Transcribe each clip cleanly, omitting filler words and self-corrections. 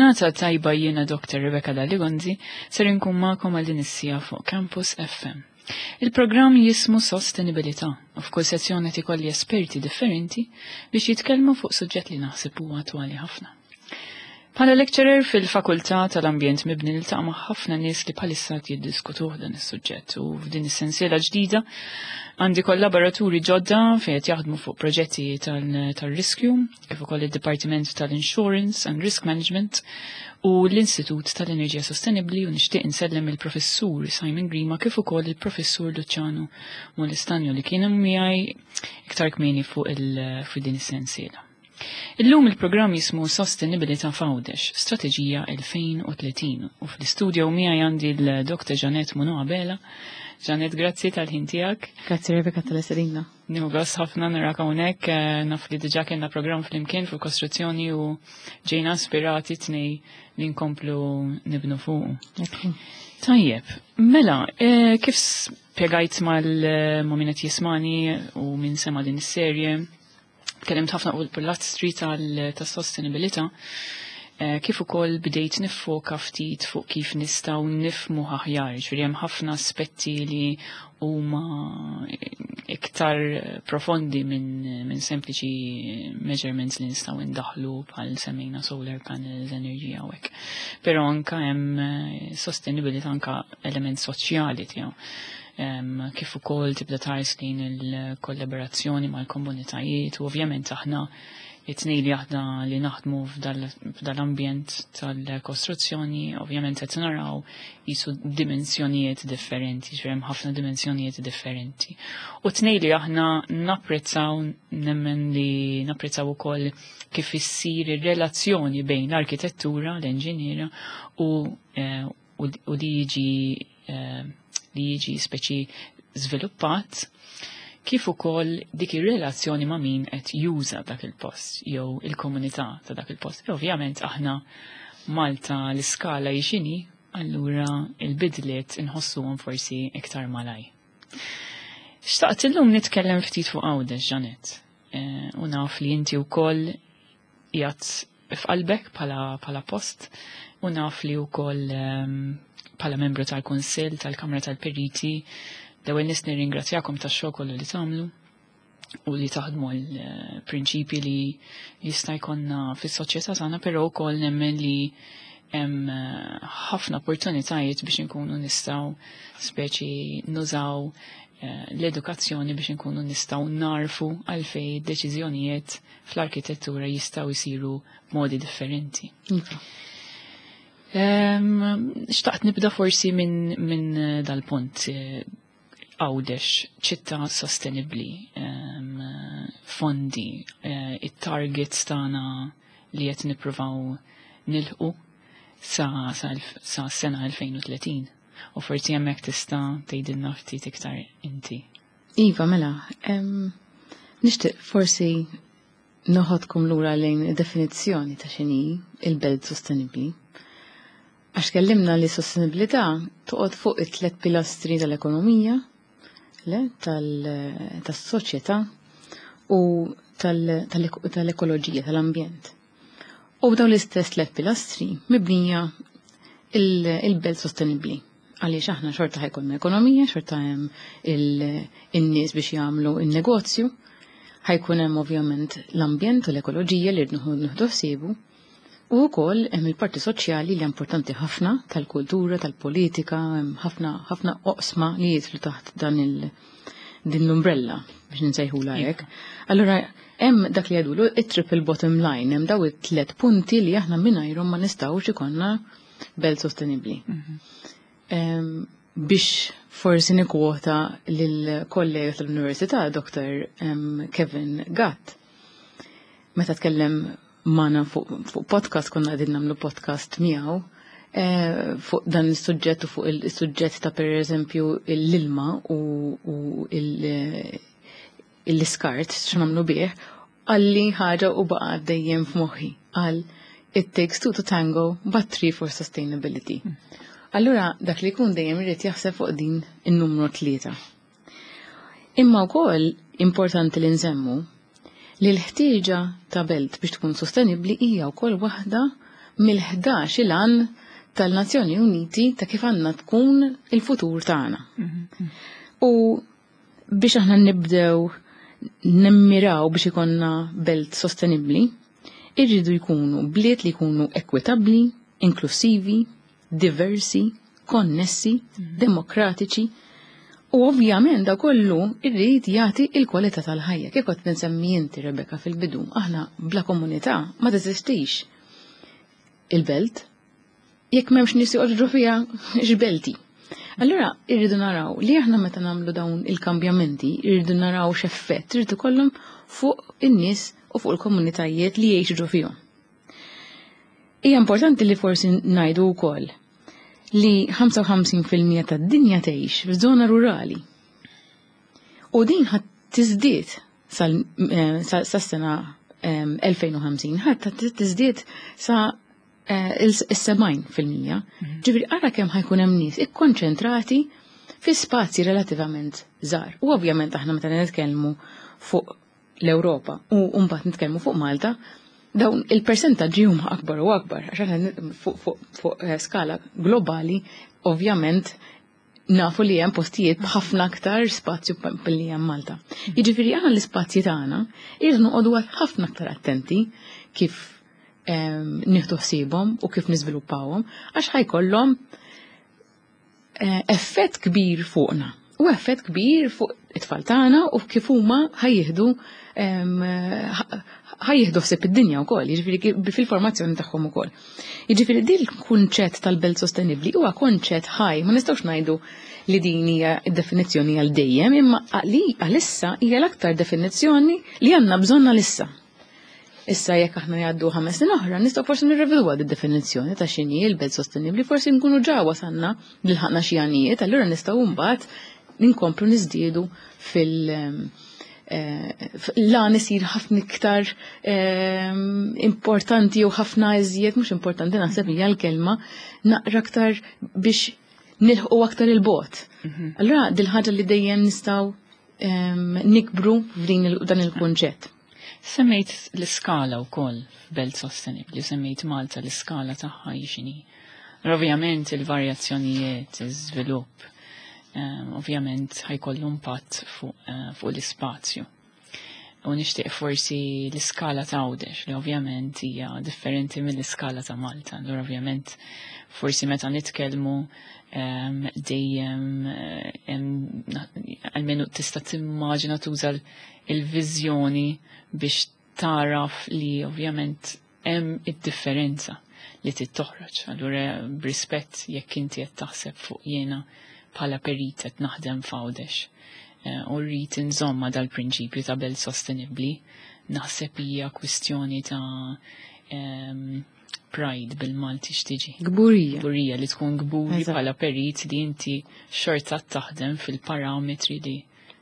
Il-ġurnata tajba jiena Dr. Rebecca Dalli-Gonzi ser inkun magħkom għal din is-siegħa fuq Campus FM. Il-programm jismu Sostenibilità u f'kull sezzjoni qed ikolli esperti differenti biex jitkellmu fuq suġġett li naħseb huwa attwali ħafna. Bħala lecturer fil-Fakultà tal-Ambjent Mibni niltaqa' ma' ħafna nies li bħalissa qed jiddiskutuh dan is-suġġett u f'din is-sensiela ġdida għandi kollaboraturi ġodda fejn qed jaħdmu fuq proġetti tal-riskju, kif ukoll id-Dipartiment tal-Insurance and Risk Management u l-Istitut tal-Enerġija Sostenibbli u nixtieq insellem il-Professur Simon Grima kif ukoll il-Professur Luciano Molestanjo li kienu miegħi iktar kmieni fuq din is-sensiela. Illum il-programm jismu Sostenibilità f'Għawdex, Strateġija 2030 u fl-istudio miegħi għandi l-Dr. Janet Muno Abela. Janet, grazzi tal-ħin tiegħek. Grazzi Rebecca tal-istedina. Nieħu gost ħafna narak hawnhekk, eh, naf li diġà kellna programm flimkien fuq kostruzzjoni u ġejna ispirati tnej li nkomplu nibnu fuq. Tajjeb, mela, eh, kif spjegajt mal ma' min qed jismani u min sema' din is-serje, Tkellimt ħafna fuq il-pilastri tas-sostenibilità, eh, kif ukoll bdejt niffoka ftit fuq kif nistgħu nifmu aħjar, ġifieri hemm ħafna aspetti li huma iktar profondi minn min sempliċi measurements li nistgħu ndaħlu bħal semmejna solar panels, enerġija u hekk. Però anka hemm eh, sostenibilità anka element soċjali tiegħu kif ukoll tibda tħares lejn il-kollaborazzjoni mal-komunitajiet u ovvjament aħna it-tnej li aħna li naħdmu f'dal-ambjent tal-kostruzzjoni, ovvjament qed naraw jisu dimensjonijiet differenti, ġifieri hemm ħafna dimensjonijiet differenti. U tnej li aħna napprezzaw nemmen li napprezzaw ukoll kif issir ir-relazzjoni bejn l-arkitettura, l-enġiniera u eh, u li jiġi eh, li jiġi speċi żviluppat kif ukoll dik ir-relazzjoni ma' min qed juża dak il-post jew il-komunità ta' dak il-post. E ovvjament aħna Malta l-iskala hi allura il-bidliet inħossuhom forsi iktar malaj. Xtaqt illum nitkellem ftit fuq Għawdex, Janet. Eh, u naf li inti wkoll qiegħed f'qalbek bħala post u naf li wkoll ehm, bħala membru tal-Kunsill tal-Kamra tal-Periti l-ewwel nies nirringrazzjakom tax-xogħol kollu li tagħmlu u li taħdmu l-prinċipi li jista' jkollna fis-soċjetà tagħna, però wkoll nemmen li hemm eh, ħafna opportunitajiet biex inkunu nistgħu speċi nużaw eh, l-edukazzjoni biex inkunu nistgħu narfu għalfej deċiżjonijiet fl-arkitettura jistgħu jsiru b'modi differenti. Iva. Xtaqt nibda forsi minn min eh, dal-punt eh, Għawdex, ċittà sostenibli, fondi, eh, it-targets tagħna li qed nippruvaw nilħqu sa, sa, sa sena 2030. U forsi hemmhekk tista' tgħidilna ftit iktar inti. Iva, mela, nixtieq forsi noħodkom lura lejn id-definizzjoni ta' x'inhi il-belt sostenibbli. Għax kellimna li sostenibilità toqgħod fuq it-tliet pilastri tal-ekonomija, le, tas-soċjetà u tal-ekoloġija, tal-ambjent. U b'dawn l-istess tliet pilastri mibnija il-belt sostenibbli. Għaliex aħna xorta ħajkonna ekonomija, xorta hemm in-nies biex jagħmlu in-negozju, ħajkun hemm ovvjament l-ambjent u l-ekoloġija li rridu nieħdu ħsiebu, u wkoll hemm il-parti soċjali li importanti ħafna tal-kultura, tal-politika, hemm ħafna ħafna oqsma li jidħlu taħt dan il din l-umbrella biex nsejħula hekk. Allura hemm dak li jgħidulu it-triple bottom line, hemm daw it-tliet punti li aħna mingħajrhom ma nistgħux ikollna belt sostenibbli. Mhm. Biex forsi nikwota lill-kollega tal-Università, Dr. Kevin Gatt, meta tkellem magħna fuq podcast, konna qegħdin nagħmlu podcast miegħu, eh, fuq dan is-suġġett u fuq il-suġġett ta' per eżempju l-ilma u l-iskart x'nagħmlu bih, qalli ħaġa u baqa' dejjem f'moħħi. Qal, it takes two to tango, but three for sustainability. Allura dak li jkun dejjem irid jaħseb fuq din in-numru tlieta. Imma wkoll importanti li nsemmu li l-ħtieġa ta' belt biex tkun sostenibbli hija wkoll waħda mill-11 il-għan tal-Nazzjoni Uniti ta' kif għandna tkun il-futur tagħna. U biex aħna nibdew nimmiraw biex ikonna belt sostenibbli, irridu jkunu bliet li jkunu ekwitabbli, inklusivi, diversi, konnessi, demokratiċi, u ovvjament da kollu irrid jagħti il-kwalità tal-ħajja. Kif kont nsemmi inti, Rebecca, fil-bidu, aħna bla komunità ma teżistix il-belt. Jekk m'hemmx nies joqogħdu fiha, x'belti. Allura irridu naraw li aħna meta nagħmlu dawn il-kambjamenti, irridu naraw x'effett irid ikollhom fuq in-nies u fuq il-komunitajiet li jgħixu ġo fihom. Hija importanti li forsi ngħidu wkoll li 55% tad-dinja tgħix f'żona rurali. U din ħadd tiżdied sas-sena 2050, ħadd tiżdied sa il-70%. Ġifieri ara kemm ħa jkun hemm nies ikkonċentrati fi spazji relativament żgħar. U ovvjament aħna meta nitkellmu fuq l-Ewropa u mbagħad nitkellmu fuq Malta, dawn il-persentaġġi huma akbar u akbar, għax aħna fuq skala globali ovvjament nafu li hemm postijiet b'ħafna aktar spazju milli hemm Malta. Jiġifieri aħna l-ispazji tagħna irridu noqogħdu ħafna aktar attenti kif nieħdu ħsiebhom u kif niżviluppawhom, għax ħa jkollhom effett kbir fuqna u effett kbir fuq it-tfal tagħna u kif huma ħa jieħdu ħsieb id-dinja wkoll, jiġifieri fil-formazzjoni tagħhom ukoll. Jiġifieri din il-kunċett tal-belt sostenibbli huwa konċett ħaj, ma nistgħux ngħidu li din hija d-definizzjoni għal dejjem, imma għalissa hija l-aktar definizzjoni li għandna bżonn għalissa. Issa jekk aħna jgħaddu 5 snin oħra, nistgħu forsi nirrevedwa d-definizzjoni ta' x'inhi l-belt sostenibbli, forsi nkunu ġa wasalna lħaqna xi għanijiet, allura nistgħu mbagħad ninkomplu niżdiedu fil- lan isir ħafna iktar importanti u ħafna iżjed, mhux importanti naħseb hija l-kelma, naqra aktar biex nilħqu aktar il-bogħod. Allura dil-ħaġa li dejjem nistgħu nikbru f'din dan il-kunċett. Semmejt l-iskala wkoll f'belt sostenibli, semmejt Malta l-iskala tagħha x'inhi. Ovvjament il-varjazzjonijiet, iż-żvilupp, ovvjament ħa jkollu impatt fuq l-ispazju. U nixtieq forsi l-iskala ta' Għawdex, li ovvjament hija differenti mill-iskala ta' Malta. Allura ovvjament forsi meta nitkellmu dejjem almenu tista' timmaġina tuża il-viżjoni biex taraf li ovvjament hemm id-differenza li trid toħroġ. Allura b'rispett jekk inti qed taħseb fuq jiena bħala perit qed naħdem f'Għawdex u rrid inżomma dal-prinċipju ta' belt sostenibbli, naħseb hija kwistjoni ta' pride bil-Malti x'tiġi. Kburija. Kburija li tkun kburi bħala perit li inti xorta taħdem fil-parametri li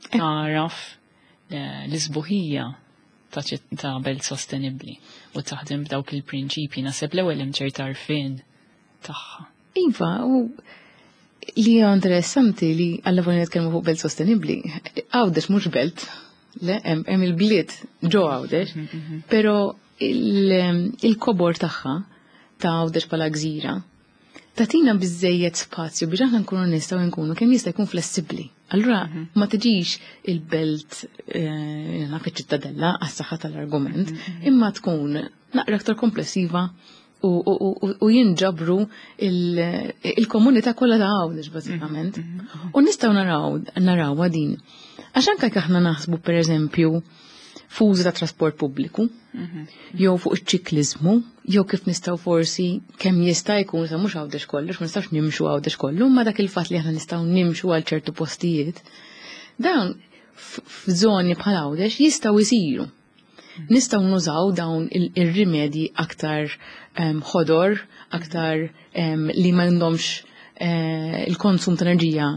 taraf l-isbuħija ta' belt sostenibli u taħdem b'dawk il-prinċipji. Naħseb l-ewwel hemm ċerta għarfien tagħha. Iva, u li hija interessanti li għalla volja nitkellmu fuq belt sostenibbli, Għawdex mhux belt, le, hemm il-bliet ġo Għawdex, però il-kobor tagħha ta' Għawdex bħala gżira tagħtina biżejjed spazju biex aħna nkunu nistgħu nkunu kemm jista' jkun flessibbli. Allura ma tiġix il-belt naf iċ-ċittadella għas-saħħa tal-argument, imma tkun naqra aktar komplessiva u jinġabru il-komunità kollha ta' Għawdex bażikament. U nistgħu naraw din. Għax anke jekk aħna naħsbu, pereżempju, fuż ta' trasport pubbliku, jew fuq iċ-ċiklizmu, jew kif nistgħu forsi kemm jista' jkun sa mhux Għawdex kollox, ma nistgħux nimxu Għawdex kollu, ma dak il-fatt li aħna nistgħu nimxu għal ċertu postijiet, dawn f'żoni bħal Għawdex jistgħu jsiru. Nistgħu nużaw dawn ir-rimedji aktar ħodor, aktar li m'għandhomx il-konsum ta' enerġija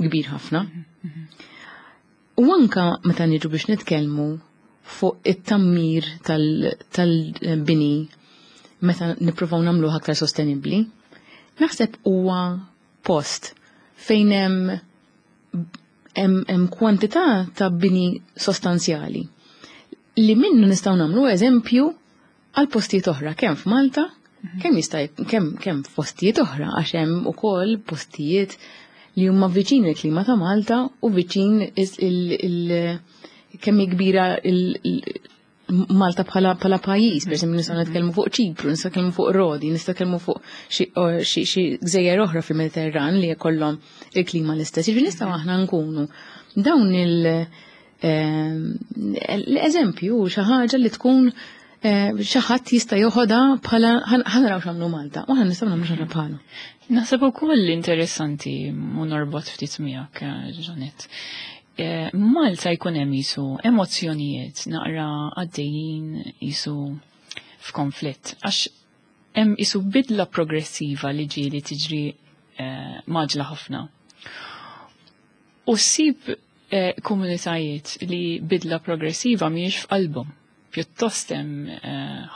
kbir ħafna. U anka meta niġu biex nitkellmu fuq it-tammir tal-bini meta nippruvaw nagħmluh aktar sostenibbli, naħseb huwa post fejn hemm kwantità ta' bini sostanzjali li minnu nistgħu nagħmlu eżempju għal postijiet oħra kemm f'Malta. Kemm jista' kemm kemm f'postijiet oħra għax hemm ukoll postijiet li huma viċin il-klima ta' Malta u viċin il kemm hi kbira Malta bħala bħala pajjiż, per esempio nistgħu nitkellmu fuq Ċipru, nistgħu nitkellmu fuq Rodi, nistgħu nitkellmu fuq xi gżejjer oħra fil-Mediterran li jkollhom il-klima l-istess. Jiġifieri nistgħu aħna nkunu dawn il- l-eżempju xi ħaġa li tkun xi ħadd jista' joħodha bħala ħa naraw x'għamlu Malta u aħna nistgħu nagħmlu xi ħaġa bħalu. Naħseb ukoll interessanti u norbot ftit miegħek, Jeanette. Malta jkun hemm jisu emozzjonijiet naqra għaddejjin jisu f'konflitt. Għax hemm jisu bidla progressiva li ġieli tiġri maġla ħafna. U ssib komunitajiet li bidla progressiva mhijiex f'qalbhom. Pjuttost hemm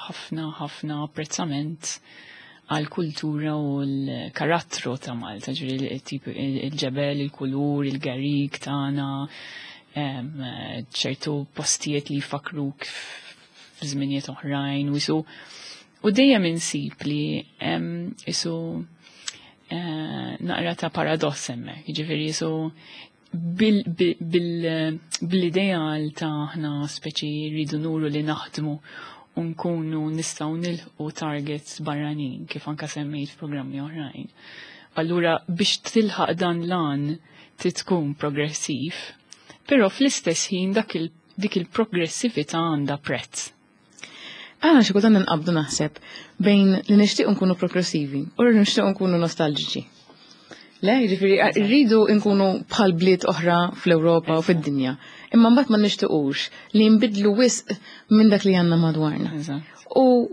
ħafna ħafna apprezzament għal kultura u l-karattru ta' Malta, ġifieri il-tip il-ġebel, il-kulur, il-garik tagħna, ċertu postijiet li jfakruk f'żminijiet oħrajn u jisu u dejjem insib li hemm isu naqra ta' paradoss hemmhekk, jiġifieri jisu bil-ideal ta' aħna speċi rridu nuru li naħdmu u nkunu nistgħu nilħqu targets barranin kif anka semmejt f'programmi oħrajn. Allura biex tilħaq dan l-għan trid tkun progressiv, però fl-istess ħin dak il, dik il-progressività għandha prezz. Aħna xi kultant nqabdu naħseb bejn li nixtiequ nkunu progressivi u li nixtiequ nkunu nostalġiċi. Le, jiġifieri rridu nkunu bħal bliet oħra fl-Ewropa u fid-dinja. Imma mbagħad ma nixtiequx li nbidlu wisq minn dak li għandna madwarna. U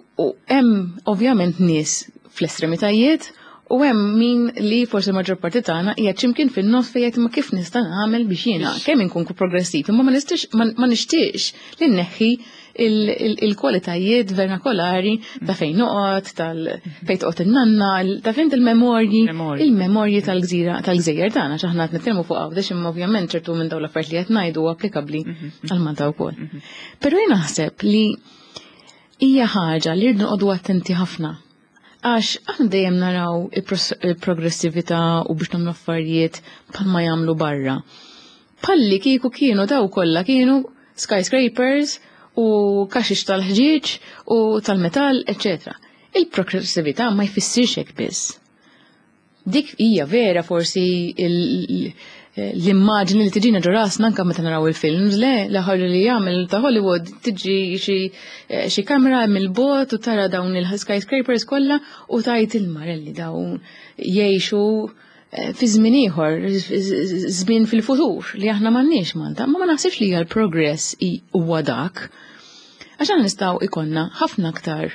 hemm ovvjament nies fl-estremitajiet u hemm min li forsi maġġor parti tagħna hija x'imkien fin-nofs fejn jgħid ma kif nista' nagħmel biex jiena kemm inkun progressiv imma ma nistax ma nixtieqx li nneħħi il-kwalitajiet vernakolari ta' fejn noqgħod, tal fejn toqgħod in-nanna, ta' fejn il-memorji, il-memorji tal-gżira tal-gżejjer tagħna x'aħna qed nitkellmu fuq Għawdex imma ovvjament ċertu minn dawn l-affarijiet li qed ngħidu applikabbli għal Malta wkoll. Però jien naħseb li hija ħaġa li rridu noqogħdu attenti ħafna. Għax aħna dejjem naraw il-progressività u biex nagħmlu affarijiet bħalma jagħmlu barra. Palli kieku kienu daw kollha kienu skyscrapers u kaxix tal-ħġieġ u tal-metall, etc. Il-progressività ma jfissirx hekk biss. Dik hija vera forsi l-immaġni li tiġina ġo rasna anke meta naraw il-films, le, l-aħħar li jagħmel ta' Hollywood tiġi xi kamera mill-bot u tara dawn il-skyscrapers kollha u tajt il-marelli dawn jgħixu fi żmien ieħor, żmien fil-futur li aħna m'għandniex Malta, ma ma naħsibx li hija l-progress huwa dak. Għax aħna nistgħu ikollna ħafna aktar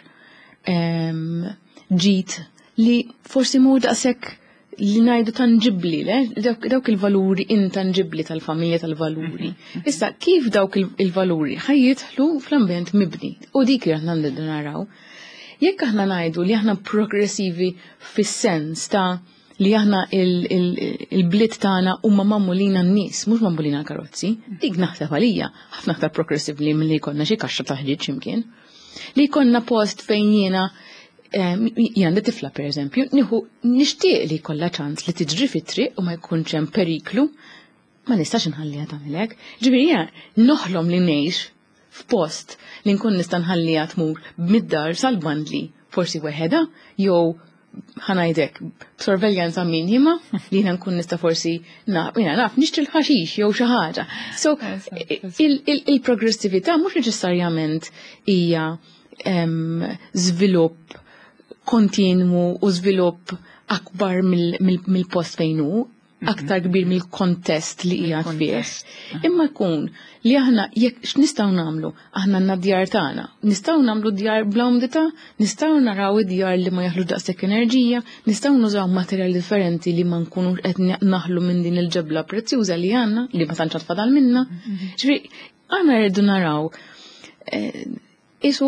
ġid li forsi mhu daqshekk li ngħidu tanġibli, le? Dawk il-valuri intanġibli tal-familja tal-valuri. Issa, kif dawk il-valuri ħa jidħlu fl-ambjent mibni? U dik li aħna nridu naraw. Jekk aħna ngħidu li aħna progressivi fis-sens ta' li aħna il-bliet tagħna huma magħmulin għan-nies, mhux magħmulin għall-karozzi, dik naħseb għalija ħafna aktar progressiv li milli jkollna xi kaxxa ta' ħġieġ x'imkien. Li jkollna post fejn jiena jien għandi tifla per eżempju, nieħu nixtieq li jkollha ċans li tiġri fit-triq u ma jkunx hemm periklu, ma nistax inħalliha tagħmel hekk. Ġifieri jiena noħlom li ngħix f'post li nkun nista' nħalliha tmur mid-dar sal-bandli, forsi weħedha jew ħa ngħidlek b'sorveljanza minima li jiena nkun nista' forsi jiena naf nixtri l-ħaxix jew xi ħaġa. So il-progressività mhux neċessarjament hija żvilupp kontinwu u żvilupp akbar mill-post fejn hu, aktar kbir mill-kontest li hija fih. Imma jkun li aħna jekk x'nistgħu nagħmlu, aħna għandna djar tagħna, nistgħu nagħmlu djar bla umdità, nistgħu naraw id-djar li ma jaħlux daqshekk enerġija, nistgħu nużaw materjali differenti li ma nkunux qed naħlu minn din il-ġebla prezzjuża li għandna, li ma tantx fadal minna. Ġifieri aħna rridu naraw isu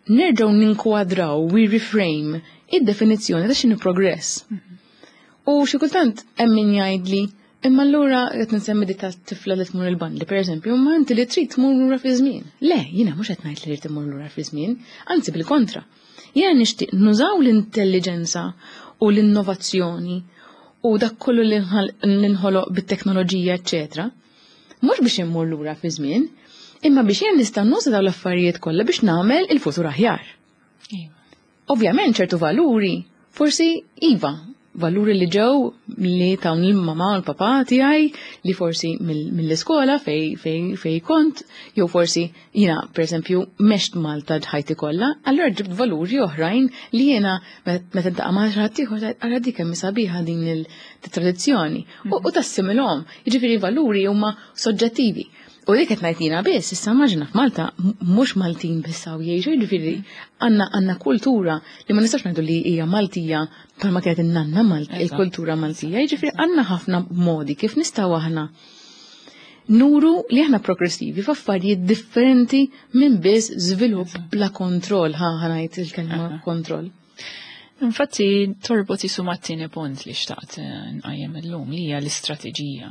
nerġgħu ninkwadraw, we reframe id-definizzjoni ta' x'inhu progress. U xi kultant hemm min jgħidli, imma allura qed nsemmi dik tifla li tmur il-bandli, pereżempju, imma inti li trid tmur lura fi żmien. Le, jiena mhux qed ngħid li trid immur lura fi żmien, anzi bil-kontra. Jiena nixtieq nużaw l-intelligenza u l-innovazzjoni u dak kollu li nħoloq bit-teknoloġija, eċetera. Mhux biex immur lura fi żmien, imma biex jien nista' nuża dawn l-affarijiet kollha biex nagħmel il-futur aħjar. Ovvjament ċertu valuri, forsi iva, valuri li ġew li tawn il-mama u l-papa tiegħi li forsi mill-iskola fej kont, jew forsi jiena pereżempju mext Malta ħajti kollha, allura ġibt valuri oħrajn li jiena meta ntaqa' ma' xi ħadd ieħor ara dik kemm sabiħa din il-tradizzjoni u tassimilhom. Jiġifieri valuri huma soġġettivi. U dik qed ngħid jiena biss, issa immaġina f'Malta mhux Maltin biss hawn jgħixu, jiġifieri għandna kultura li ma nistax ngħidu li hija Maltija bħalma kienet in-nanna Malti, il-kultura Maltija, jiġifieri għandna ħafna modi kif nistgħu aħna nuru li aħna progressivi f'affarijiet differenti minn biss żvilupp bla kontroll, ħa ngħid il-kelma kontroll. Infatti torbot isu mat-tieni punt li xtaqt nqajjem illum li hija l-istrateġija.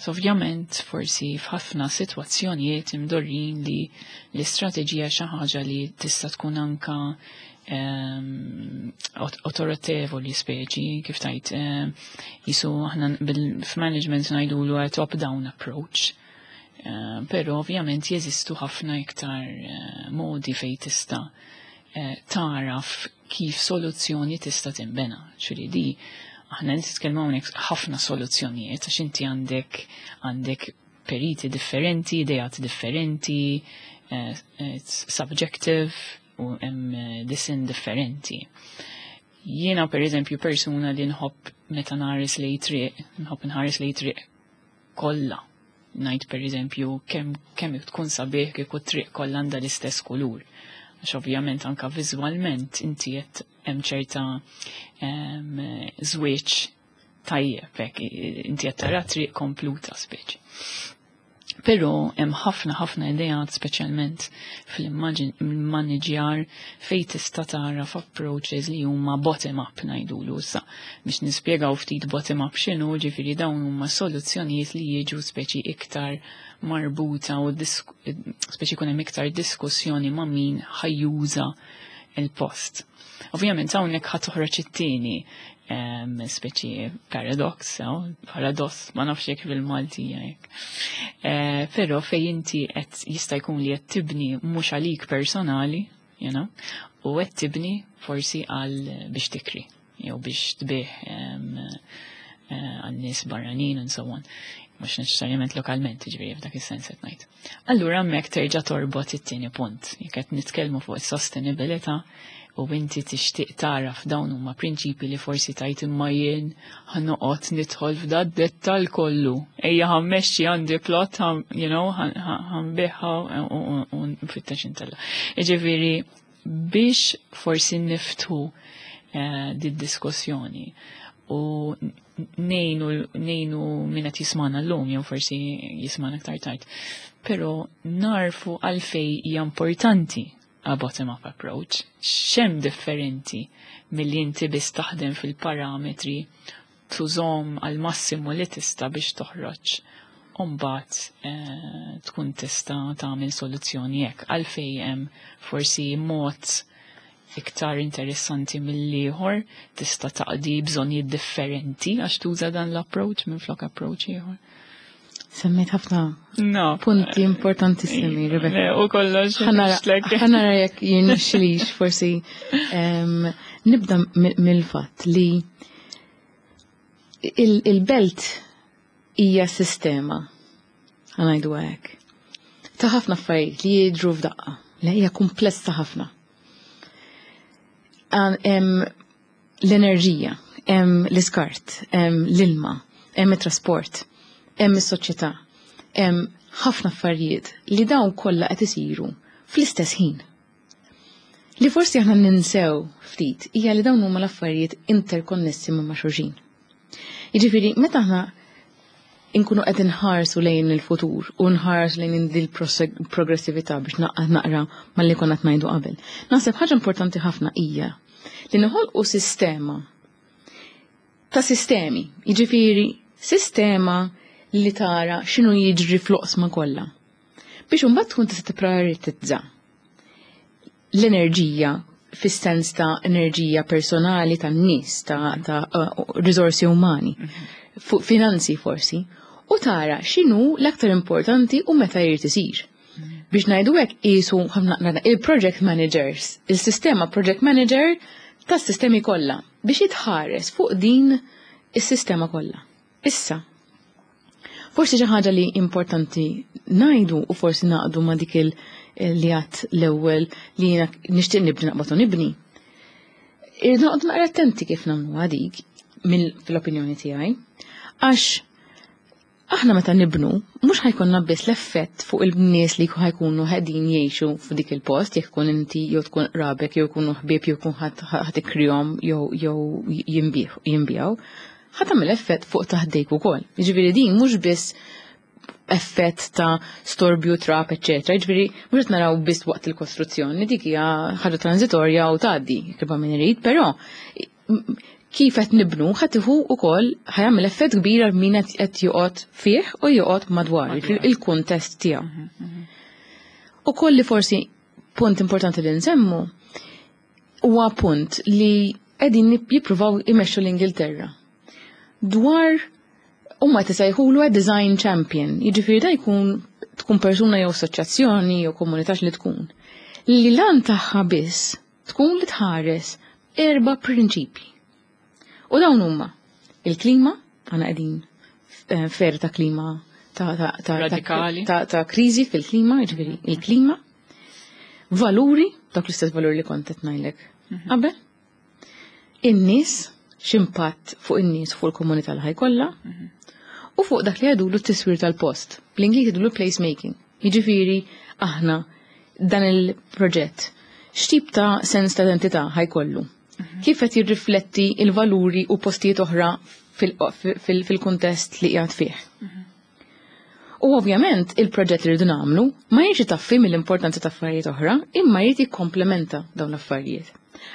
So ovvjament forsi f'ħafna sitwazzjonijiet imdorrin li l-istrateġija xi ħaġa li tista' tkun anka autorevoli speċi, kif tajt, jisu aħna f'management ngħidulu a top-down approach. Però ovvjament jeżistu ħafna iktar modi fejn tista' taraf kif soluzzjoni tista' tinbena. Ċuri di, aħna nitkellmu hawnhekk ħafna soluzzjonijiet għax inti għandek periti differenti, ideat differenti, it's subjective u hemm disin differenti. Jiena per eżempju persuna li nħobb meta nħares lejn triq, nħobb nħares lejn triq kollha. Ngħid per eżempju kemm tkun sabiħ kieku triq kollha għandha l-istess kulur. Għax ovvjament anka viżwalment inti qed hemm ċerta żwieġ tajjeb hekk, inti qed tara triq kompluta speċi. Però hemm ħafna ħafna ideat speċjalment fil-maniġjar fejn tista' tara f'approaches li huma bottom up ngħidulu issa. Biex nispjegaw ftit bottom up x'inhu, ġifieri dawn huma soluzzjonijiet li jiġu speċi iktar marbuta u speċi jkun hemm iktar diskussjoni ma' min ħajjuża il-post. Ovvjament hawnhekk ħa toħroġ it-tieni speċi paradox, paradoss, ma nafx jekk bil-Malti jekk. Però fej inti qed jista' jkun li qed tibni mhux għalik personali, u qed tibni forsi għal biex tikri, jew biex tbih għal nies barranin and so on. Mhux neċessarjament lokalment, ġifieri f'dak is-sens qed ngħid. Allura hemmhekk terġa' torbot it-tieni punt. Jekk qed nitkellmu fuq is-sostenibilità u inti tixtieq tara f'dawn huma prinċipi li forsi tajt imma jien ħanoqgħod nidħol f'da dettal kollu. Ejja ħammexxi għandi plot, ħanbiħha u nfittex intella. Jiġifieri biex forsi niftu di diskussjoni u nejnu min qed jismana llum jew forsi jismana aktar tard. Però narfu għalfej hija importanti a bottom-up approach, xem differenti mill-li inti biss taħdem fil-parametri tużom għal massimu li tista biex toħroġ u mbagħad tkun tista tagħmel soluzzjoni hekk. Għalfej hemm forsi mod iktar interessanti mill-ieħor tista' taqdi bżonnijiet differenti għax tuża dan l-approach minn flok approach ieħor. Semmejt ħafna punti importantissimi, Rebecca. Le, u kollox, nixtlek. Ħanara jekk jirnexxilix forsi nibda mill-fatt li il-belt hija sistema, ħanajdu hekk, ta' ħafna affarijiet li jidhru f'daqqa, li hija komplessa ħafna. Hemm l-enerġija, hemm l-iskart, hemm l-ilma, hemm it-trasport, hemm is-soċjetà, hemm ħafna affarijiet li dawn kollha qed isiru fl-istess ħin. Li forsi aħna ninsew ftit hija li dawn huma l-affarijiet interkonnessi ma' xulxin. Jiġifieri meta aħna inkunu qed inħarsu lejn il-futur u nħarsu lejn din il-progressività biex naqra malli konna qed ngħidu qabel. Naħseb ħaġa importanti ħafna hija li noħolqu sistema ta' sistemi, jiġifieri sistema li tara x'inhu jiġri fl-oqsma kollha. Biex imbagħad tkun tista' tipprioritizza l-enerġija fis-sens ta' enerġija personali tan-nies, ta' riżorsi umani, fuq finanzi forsi, u tara x'inhu l-aktar importanti u meta jrid isir. Biex ngħidu hekk qisu il-project managers, il-sistema project manager tas-sistemi kollha biex jitħares fuq din is-sistema kollha. Issa, forsi xi ħaġa li importanti ngħidu u forsi naqdu ma' dik li għat l-ewwel li jiena nixtieq nibni naqbad u nibni. Irridu noqgħodu naqra attenti kif nagħmlu dik fl-opinjoni tiegħi, għax aħna meta nibnu, mhux ħa jkollna biss l-effett fuq il-nies li ħa jkunu qegħdin jgħixu f'dik il-post, jekk tkun inti jew tkun qrabek jew jkunu ħbieb jew jkun ħadd ikrihom jew jinbiegħu, ħa tagħmel effett fuq ta' ħdejk ukoll. Jiġifieri din mhux biss effett ta' storbju, trab, eċetera. Jiġifieri mhux qed naraw biss waqt il-kostruzzjoni, dik hija ħaġa transitorja u tgħaddi kif min irid, però kif qed nibnu ħa tieħu wkoll ħa jagħmel effett kbir għal min qed joqgħod fih u joqgħod madwar il-kuntest tiegħu. Ukoll li forsi punt importanti li nsemmu huwa punt li qegħdin jippruvaw imexxu l-Ingilterra. Dwar huma tisejħulu design champion, jiġifieri da jkun tkun persuna jew assoċjazzjoni jew komunità li tkun. Li l-għan tagħha biss tkun li tħares erba' prinċipji. U dawn huma il-klima, għana qegħdin fer ta' klima radikali ta' kriżi fil-klima, jiġifieri il-klima, valuri, dak l-istess valuri li kont qed ngħidlek qabel, in-nies, x'impatt fuq in-nies fuq il-komunità li ħa jkollha, u fuq dak li jgħidulu t-tiswir tal-post. Bl-Ingliż jgħidulu placemaking. Jiġifieri aħna dan il-proġett x'tip ta' sens ta' identità ħa jkollu? Kif qed jirrifletti il-valuri u postijiet oħra fil-kuntest li qiegħed fih? U ovvjament il-proġett li rridu nagħmlu ma jiġi taffi mill-importanza ta' affarijiet oħra, imma jrid jikkomplementa dawn l-affarijiet.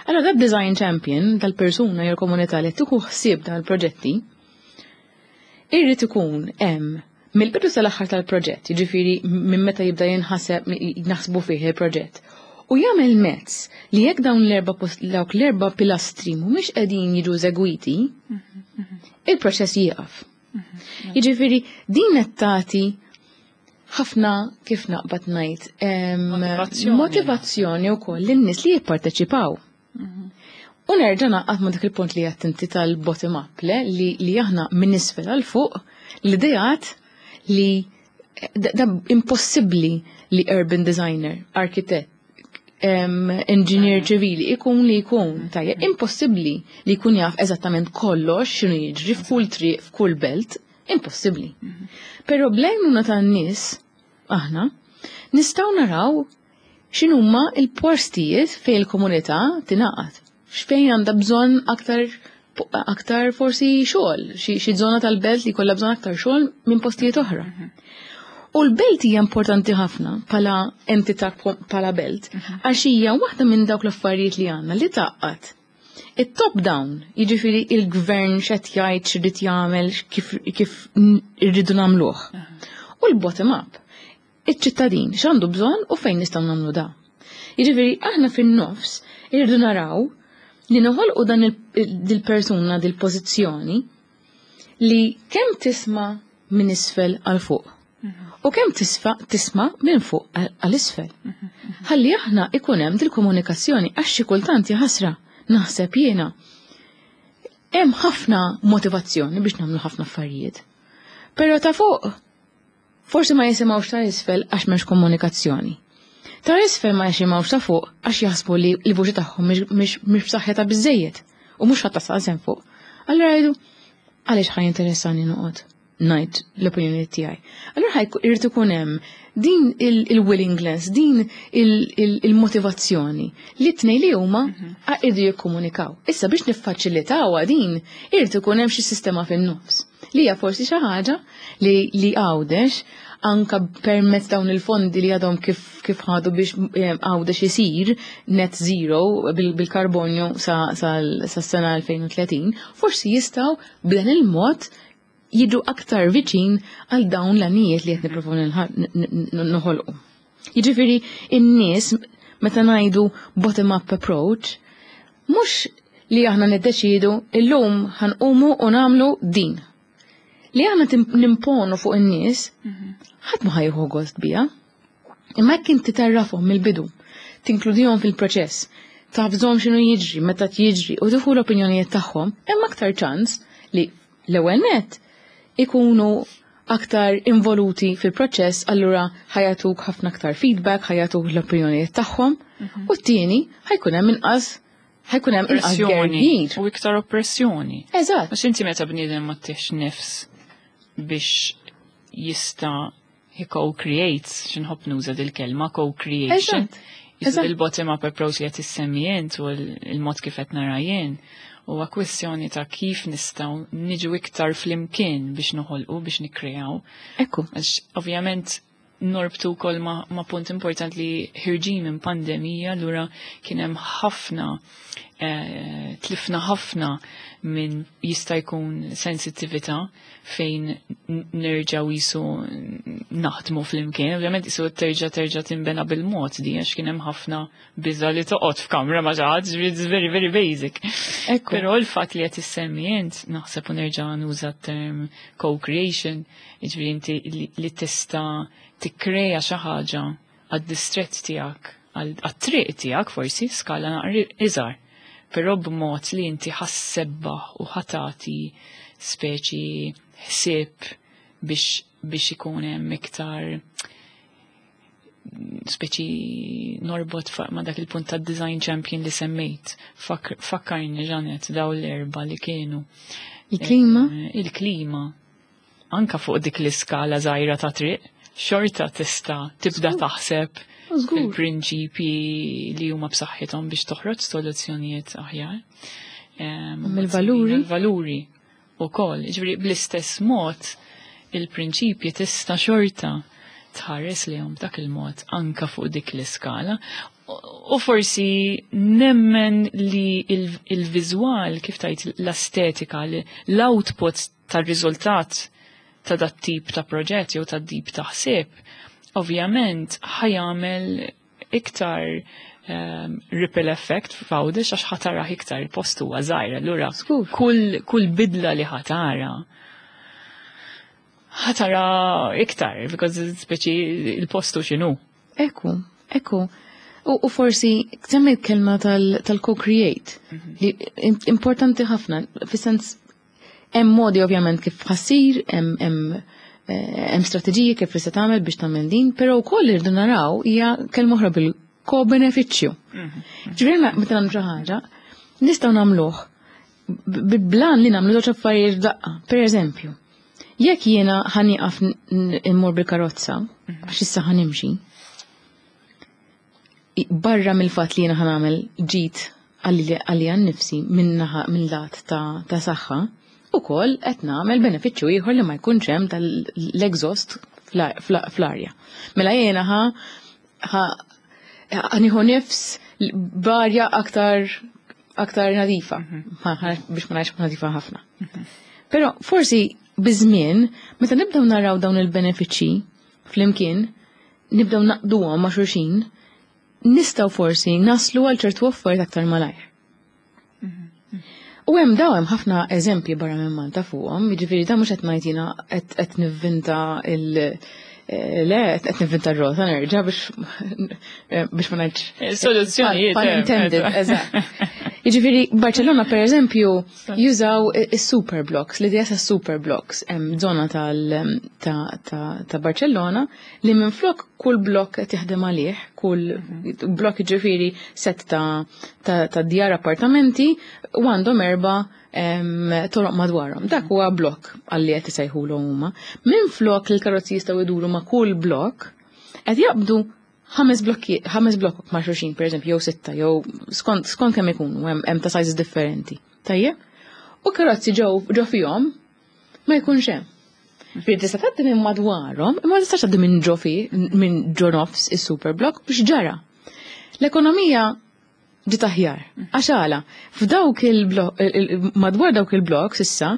Allora dak design champion tal-persuna jew komunità li tieħu ħsieb dawn il-proġetti irrid ikun hemm mill-bidu sal-aħħar tal-proġett, jiġifieri minn meta jibda jinħaseb naħsbu fih il-proġett. U jagħmel mezz li jekk dawn l-erba' dawk l-erba' pilastri mhumiex qegħdin jiġu eżegwiti, il-proċess jieqaf. Jiġifieri din qed tagħti ħafna kif naqbad ngħid motivazzjoni wkoll lin-nies li jipparteċipaw. U nerġa' naqgħod ma' dak il-punt li għedt inti tal-bottom up, le li aħna minn isfel għal fuq l-ideat li da impossibbli li urban designer, architect, engineer ċivili ikun li jkun tajjeb, impossibbli li jkun jaf eżattament kollox x'inhu jiġri f'kull triq, f'kull belt, impossibbli. Però bl-għajnuna tan-nies aħna nistgħu naraw x'inhuma il-postijiet fejn il-komunità tingħaqad, x'fejn għandha bżonn aktar forsi xogħol, xi żona tal-belt li jkollha bżonn aktar xogħol minn postijiet oħra. U l-belt hija importanti ħafna bħala entità bħala belt, għax hija waħda minn dawk l-affarijiet li għandna li tgħaqqad. Il-top down, jiġifieri il-gvern x'qed jgħid x'irid jagħmel kif irridu nagħmluh. U l-bottom up, iċ-ċittadin x'għandu bżonn u fejn nistgħu nagħmlu da. Jiġifieri aħna fin-nofs irridu naraw li noħolqu dan dil-persuna dil-pożizzjoni li kemm tisma' minn isfel għal fuq. U kemm tisma' minn fuq għal isfel. Ħalli aħna ikun hemm dil-komunikazzjoni għax xi kultant jaħasra naħseb jiena hemm ħafna motivazzjoni biex nagħmlu ħafna affarijiet. Però ta' fuq forsi ma jisimgħux ta' isfel għax m'hemmx komunikazzjoni. Ta' isfel ma jisimgħux ta' fuq għax jaħsbu li l-vuċi tagħhom mhix b'saħħitha biżejjed u mhux ħadd tasal fuq. Allura jgħidu għaliex ħa jinteressani noqgħod ngħid l-opinjoni tiegħi. Allura irid ikun hemm din il-willingness, din il-motivazzjoni li t-tnejn li huma irridu jikkomunikaw. Issa biex niffaċilitawha din, irid ikun hemm xi sistema fin-nofs. Li hija forsi xi ħaġa li Għawdex anka permezz dawn il-fondi li għadhom kif ħadu biex Għawdex isir net zero bil-karbonju sa sena 2030, forsi jistgħu b'dan il-mod jiġu aktar viċin għal dawn l-għanijiet li qed nippruvaw noħolqu. Jiġifieri in-nies Meta ngħidu bottom-up approach, mhux li aħna niddeċidu illum ħa nqumu u nagħmlu din. Li aħna nimponu fuq in-nies, ħadd ma ħa jieħu gost biha. Imma jekk inti tgħarrafhom mill-bidu, tinkludihom fil-proċess, tafżhom x'inhu jiġri, meta jiġri u tieħu l-opinjonijiet tagħhom, hemm aktar ċans li l-ewwel net ikunu aktar involuti fil-proċess, allura ħa jagħtuk ħafna aktar feedback, ħa jagħtuk l-opinjonijiet tagħhom, u t-tieni ħa jkun hemm inqas pressjoni u iktar oppressjoni. Eżatt. Għax inti meta bniedem ma ttihx nifs biex jista' he co-creates, x'inħobb nuża dil-kelma co-creation. Il-bottom up approach li qed issemmi int u l-mod kif qed nara jien huwa kwestjoni ta' kif nistgħu niġu iktar flimkien biex noħolqu, biex nikkreaw. Għax ovvjament norbtu wkoll ma punt important li ħerġin minn pandemija, allura kien hemm ħafna tlifna ħafna minn jista' jkun sensittività fejn nerġaw jisu naħdmu flimkien. Ovvjament jisu terġa' tinbena bil-mod di għax kien hemm ħafna biża li toqgħod f'kamra ma' xi ħadd, it's very very basic. Però l-fatt li qed issemmi int naħseb u nerġa' nuża term co-creation, jiġifieri inti li tista' tikkreja xi ħaġa għad-distrett tiegħek, għat-triq tiegħek forsi skala naqra iżgħar, però b'mod li inti ħa ssebbaħ u ħa tagħti speċi ħsieb biex ikun hemm iktar speċi norbot ma dak il-punt ta' design champion li semmejt. Fakkarni Janet daw l-erba li kienu. Il-klima? Il-klima. Anka fuq dik l-iskala żgħira ta' triq, xorta tista' tibda taħseb il-prinċipi li huma b'saħħithom biex toħroġ soluzzjonijiet aħjar. Il-valuri? Il-valuri ukoll. Ġifieri bl-istess mod il-prinċipji tista' xorta tħares lejhom dak il-mod anka fuq dik l-iskala. U forsi nemmen li il-viżwal, kif tajt l-estetika, l-output tal-riżultat ta' dat tip ta' proġett jew ta' tip ta' ħsieb, ovvjament ħa jagħmel iktar ripple effect f'Għawdex għax ħa tarah iktar, il-post huwa żgħir, allura kull bidla li ħa tara ħa tara iktar, because speċi il-postu x'inhu. Ekku, ekku. U forsi semmejt kelma tal-co-create, li importanti ħafna, fis-sens hemm modi ovvjament kif ħa ssir, hemm strateġiji kif tista' tagħmel biex tagħmel din, però wkoll irridu naraw hija kelma oħra bil-ko-benefiċċju. Ġifieri meta nagħmlu xi ħaġa, nistgħu nagħmluh blan li nagħmlu żewġ affarijiet f'daqqa. Per eżempju, jekk jiena ħa nieqaf immur bil-karozza, għax issa ħa nimxi, barra mill-fatt li jiena ħa nagħmel ġid għalija nnifsi minn lat ta' saħħa, ukoll qed nagħmel benefiċċju ieħor li ma jkunx hemm tal-exhaust fl-arja. Mela jiena ħa nieħu nifs b'arja aktar nadifa, biex ma ngħidx nadifa ħafna. Però forsi biż-żmien, meta nibdew naraw dawn il-benefiċċji flimkien, nibdew naqduhom ma' xulxin, nistgħu forsi naslu għal ċertu affarijiet aktar malajr. U hemm daw hemm ħafna eżempji barra minn Malta fuqhom, jiġifieri da mhux qed ngħid jiena qed nivvinta il- le, qed nivvinta r-rota nerġa' biex ma ngħidx. Soluzzjonijiet. Pun intended, eżatt. Jiġifieri Barcellona per eżempju jużaw is-super blocks, l-idea ta' super blocks, hemm żona ta' Barcellona li minflok kull blok qed jaħdem għalih, kull blok jiġifieri set ta' djar appartamenti u għandhom 4 toroq madwarhom. Dak huwa blok għalli qed isejħulu huma. Minflok li l-karozzi jistgħu jduru ma' kull blok, qed jaqbdu 5 blokki, 5 blokok ma' xulxin, per eżempju, jew 6, jew skont kemm ikunu, hemm ta' sizes differenti. Tajjeb? U karozzi ġew fihom ma jkunx hemm. Ġifieri tista' tgħaddi minn madwarhom, imma tistax tgħaddi minn ġo fi, minn ġo nofs is-super block biex ġara. L-ekonomija ġiet aħjar. Għax għala, f'dawk il-blok, madwar dawk il-blok s'issa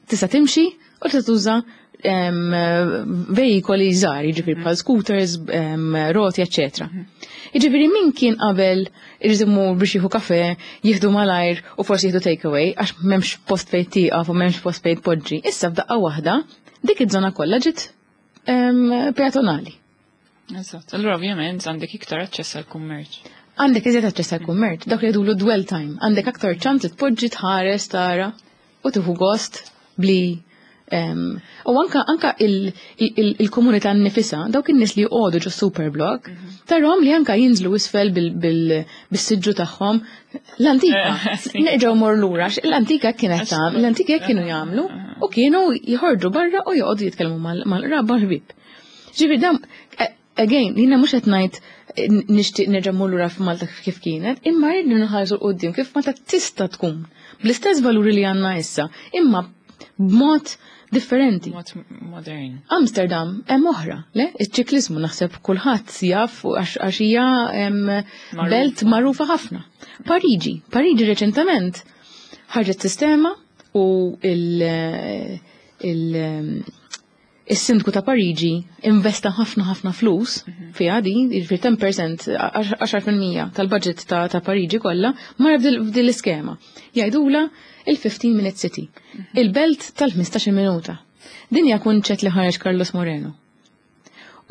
tista' timxi u tista' tuża veikoli żgħar, jiġifieri bħal scooters, roti, eċetera. Jiġifieri min kien qabel irid imur biex jieħu kafe, jieħdu malajr u forsi jieħdu takeaway għax m'hemmx post fejn tieqaf u m'hemmx post fejn tpoġġi. Issa f'daqqa waħda dik iż-żona kollha ġiet peatonali. Eżatt. Allura ovvjament għandek iktar aċċess għall-kummerċ. Għandek iżjed aċċess għall-kummerċ, dak li jgħidulu dwell time, għandek aktar ċans li tpoġġi, tħares, tara u tieħu gost bli u anka anka il-komunità nnifisha, dawk in-nies li joqogħdu ġo superblok, tarahom li anka jinżlu isfel bis-siġġu tagħhom. L-antika, nerġgħu mor lura, l-antika kienet tagħmel, l-antika kienu jagħmlu u kienu jħorġu barra u joqogħdu jitkellmu mal-qraba ħbieb. Ġifieri dam, again, jiena mhux qed ngħid nixtieq nerġa' mmur lura f'Malta kif kienet, imma rridu nħarsu 'l quddiem kif Malta tista' tkun bl-istess valuri li għandna issa, imma b'mod differenti. Mod modern. Amsterdam hemm oħra, le? Iċ-ċiklizmu naħseb kulħadd jaf għax hija belt magħrufa ħafna. Pariġi, Pariġi reċentament ħarġet sistema u il-sindku ta' Pariġi investa ħafna ħafna flus fiha din, jiġifieri 10%, 10% tal-budget ta' Pariġi kollha mar f'din l-iskema. Jgħidula il-15 minute city, il-belt tal-15 minuta. Din hija kunċett li ħareġ Carlos Moreno.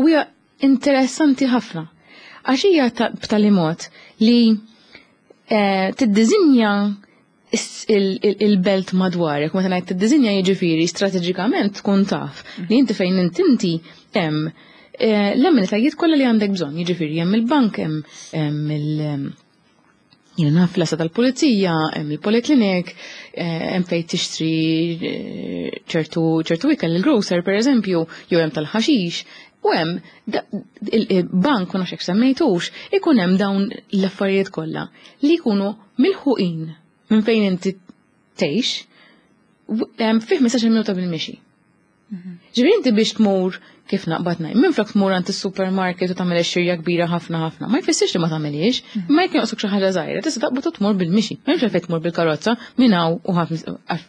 U hija interessanti ħafna. Għax hija b'tali mod li tiddiżinja il-belt madwarek, meta ngħid tiddiżinja jiġifieri strateġikament tkun taf li inti fejn inti hemm l-amenitajiet kollha li għandek bżonn, jiġifieri hemm il-bank, hemm il jiena naf l-għassa tal-pulizija, hemm il-poliklinik, hemm fejn tixtri ċertu ikel, il-grocer per eżempju, jew hemm tal-ħaxix, u hemm il-bank, u nafx hekk semmejtux, ikun hemm dawn l-affarijiet kollha li jkunu milħuqin minn fejn inti tgħix fi 15 minuta bil-mixi. Ġifieri inti biex tmur kif naqbad ngħid, minn flok tmur għand is-supermarket u tagħmel xirja kbira ħafna ħafna, ma jfissirx li ma tagħmelix, ma jekk jonqsok xi ħaġa żgħira, tista' taqbad u tmur bil-mixi. Ma hemmx għalfejn tmur bil-karozza minn hawn u ħafna,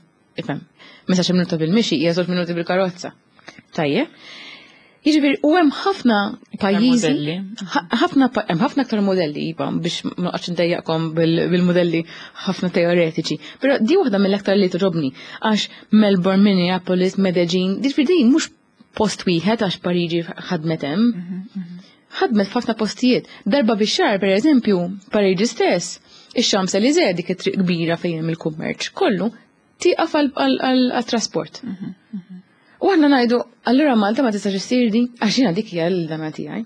ifhem, 15 minuta bil-mixi hija 2 minuti bil-karozza. Tajjeb. Jiġifieri u hemm ħafna pajjiżi, modelli. Hemm ħafna aktar modelli, iva, biex ma noqgħodx ndejjaqkom bil-modelli ħafna teoretiċi. Però di waħda mill-aktar li togħġobni għax Melbourne, Minneapolis, Medellin, jiġifieri din mhux post wieħed għax Pariġi ħadmet hemm. Ħadmet f'ħafna postijiet. Darba bix-xahar, per eżempju, Pariġi stess, ix-Champs-Élysées, dik it-triq kbira fejn hemm il-kummerċ, kollu tieqaf għal-trasport. U aħna ngħidu, allura Malta ma tistax issir di, għax jiena dik hija l-dama tiegħi.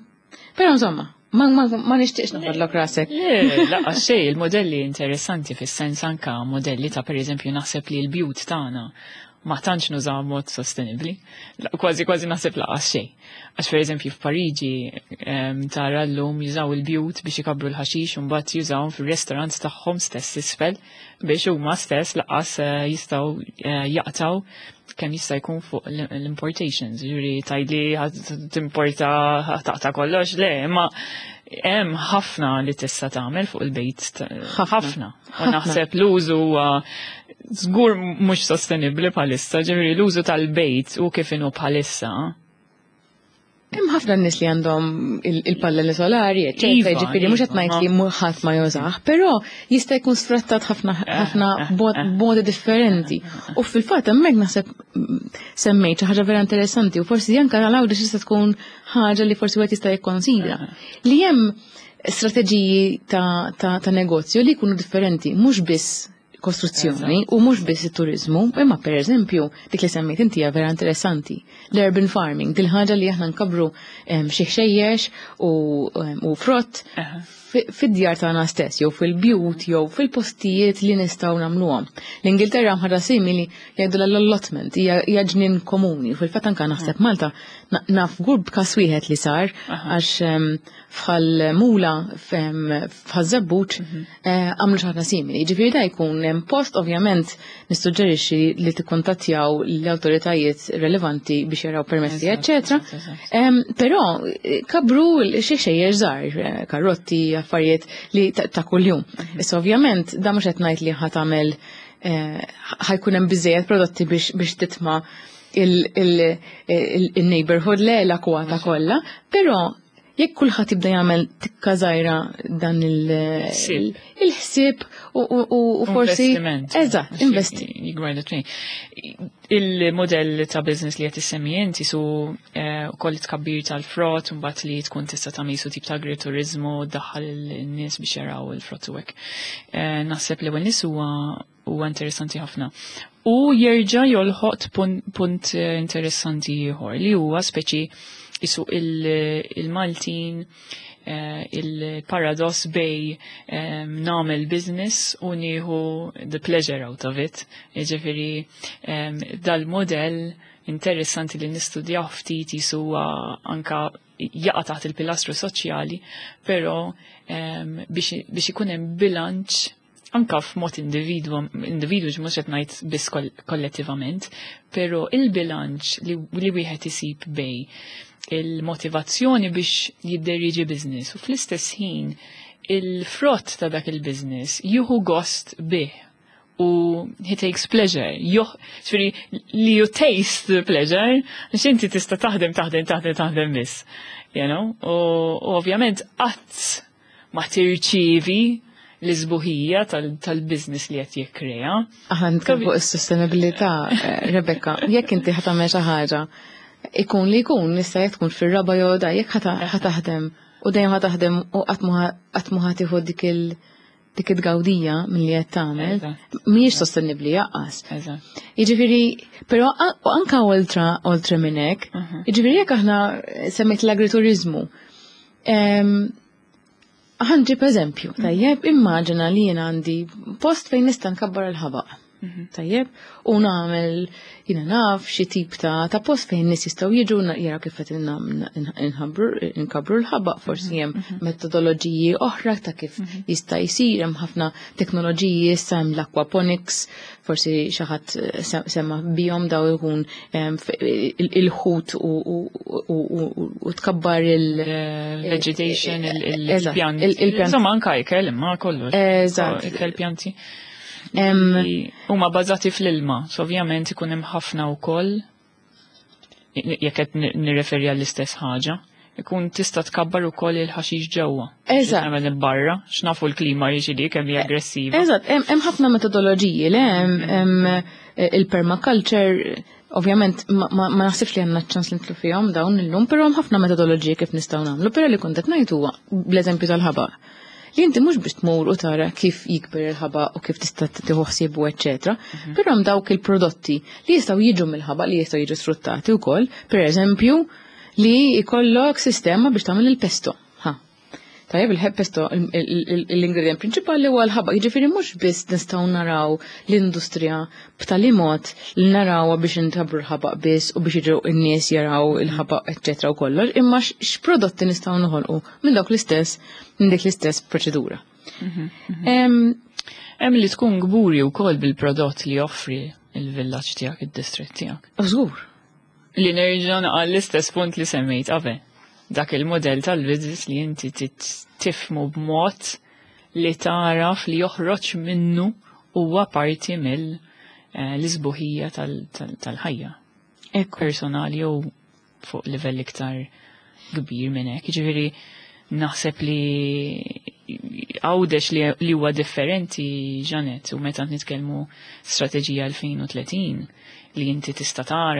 Però insomma, ma nixtieqx noħodlok rasek. Le, laqas xejn, il-modelli interessanti fis-sens anka modelli ta' per eżempju naħseb li l-bjut tagħna ma tantx nużaw mod sostenibbli. Kważi kważi naħseb laqas xejn. Għax per eżempju f'Pariġi tara llum jużaw il-bjut biex ikabru l-ħaxix u mbagħad jużawhom fir-restaurants tagħhom stess isfel biex huma stess laqas jistgħu jaqtaw kemm jista' jkun fuq l-importations. Ġifieri tgħidli timporta taqta' kollox, le, imma hemm ħafna li tista' tagħmel fuq il-bejt. Ħafna. Ħafna. U Ħafna. naħseb l-użu huwa żgur mhux sostenibbli bħalissa, ġifieri l-użu tal-bejt u kif inhu bħalissa. Hemm ħafna nies li għandhom il-pannelli solari, eċċetera, jiġifieri mhux qed ngħid li ħadd ma jużah, però jista' jkun sfruttat ħafna ħafna b'modi differenti. U fil-fatt hemmhekk naħseb semmejt xi ħaġa vera interessanti u forsi anke għal Għawdex tista' tkun ħaġa li forsi wieħed jista' jikkonsidra. Li hemm strateġiji ta' negozju li jkunu differenti, mhux biss kostruzzjoni u mhux biss it-turizmu, imma per eżempju dik li semmejt inti hija vera interessanti. L-urban farming, dil ħaġa li aħna nkabru xi ħxejjex u frott fid-djar tagħna stess, jew fil-bjut, jew fil-postijiet li nistgħu nagħmluhom. L-Ingilterra ħaġa simili jgħidu l-allotment, hija ġnien komuni. Fil-fatt anke naħseb Malta naf gurb każ wieħed li sar għax fħal Mula f'Ħaż-Żebbuġ għamlu xi ħaġa simili. Ġifieri da jkun hemm post, ovvjament nissuġġerixxi li tikkuntattjaw l-awtoritajiet relevanti biex jaraw permessi, eċċetera. Però kabru xi xejjer żgħar, karotti, affarijiet li ta' kuljum. Issa ovvjament da mhux qed ngħid li ħa tagħmel ħajkun hemm biżejjed prodotti biex titma' il-neighborhood le l-akwata kollha, però jekk kulħadd jibda jagħmel tikka żgħira dan il-ħsieb u forsi. Eżatt, investi. Il-modell ta' business li qed issemmi inti su ukoll tkabbir tal-frott, mbagħad li tkun tista' tagħmel su tip ta' agriturizmu, daħħal in-nies biex jaraw il-frott u hekk. Naħseb li nies huwa interessanti ħafna. U jerġa' jolħoq punt interessanti ieħor li huwa speċi isu il-Maltin il-paradoss bejn nagħmel business u nieħu the pleasure out of it. Ġifieri dal-modell interessanti li nistudjaw ftit jisu anka jaqa' taħt il-pilastru soċjali, però biex ikun hemm bilanċ anka f'mod individu, mhux qed ngħid biss kollettivament, però il-bilanċ li wieħed isib bejn il-motivazzjoni biex jidderieġi business u fl-istess ħin il-frott ta' dak il-business jieħu gost bih u he takes pleasure. Ġifieri li you taste the pleasure, għax inti tista' taħdem, taħdem, taħdem, taħdem biss. U ovvjament qatt ma tirċievi l-isbuħija tal-business li qed jikkrea. Aħna nitkellmu fuq is-sostenibilità, Rebecca, jekk inti ħa tagħmel xi ħaġa, ikun li jkun, nista' jekk tkun fir-raba' jew da, jekk ħa taħdem u dejjem ħa taħdem u qatt ma ħa tieħu dik it-tgawdija milli qed tagħmel, mhijiex sostenibbli jaqqas. Jiġifieri, però u anka oltre minn hekk, jiġifieri jekk aħna semmejt l-agriturizmu, ħa nġib eżempju, tajjeb, immaġina li jien għandi post fejn nista' nkabbar il-ħabaq. Tajjeb, u nagħmel jiena naf xi tip ta' post fejn nies jistgħu jiġu jaraw kif qed nkabbru l-ħabaq, forsi hemm metodoloġiji oħra ta' kif jista' jsir, hemm ħafna teknoloġiji issa, hemm l-aquaponics, forsi xi ħadd sema bihom, daw ikun il-ħut u tkabbar il- Vegetation, il-pjanti. Il-pjanti. Insomma, anka ikel, imma kollox. Ikel pjanti. Huma bażati fl-ilma, so ovvjament ikun hemm ħafna wkoll jekk qed nirreferi għall-istess ħaġa, ikun tista' tkabbar ukoll il-ħaxix ġewwa. Nagħmel barra, x'nafu l-klima jiġi kemm hija aggressiva. Eżatt, hemm ħafna metodoloġiji, le hemm il-permaculture, ovvjament ma naħsibx li għandna ċans li nidħlu fihom dawn illum, però hemm ħafna metodoloġiji kif nistgħu nagħmlu, però li kont qed ngħid huwa bl-eżempju tal-ħabaq. Li inti mhux biex tmur u tara kif jikber il-ħabaq u kif tista' tieħu ħsiebu eċċetera, però hemm dawk il-prodotti li jistgħu jiġu mill-ħabaq li jistgħu jiġu sfruttati wkoll, per eżempju, li jkollok sistema biex tagħmel il-pesto. Ha. Tajjeb, il-pesto, l-ingredient prinċipali huwa l-ħabaq, jiġifieri mhux biss nistgħu naraw l-industrija b'tali mod li narawha biex inkabbru l-ħabaq biss u biex jiġu n-nies jaraw il-ħabaq eċċetera u kollox, imma x'prodotti nistgħu noħolqu minn dawk l-istess, minn dik l-istess proċedura. Hemm li tkun kburi wkoll bil-prodott li joffri il-villaġġ tiegħek, id-distrett tiegħek. Żgur. Li nerġa' naqal l-istess punt li semmejt qabel. Dak il-modell tal-business li inti tifmu b'mod li taraf li joħroġ minnu huwa parti mill l-isbuħija tal-ħajja. Personali jew fuq livell iktar kbir minn hekk. Jiġifieri naħseb li Għawdex li huwa differenti, Janet, u meta nitkellmu strateġija 2030 li inti tista' tara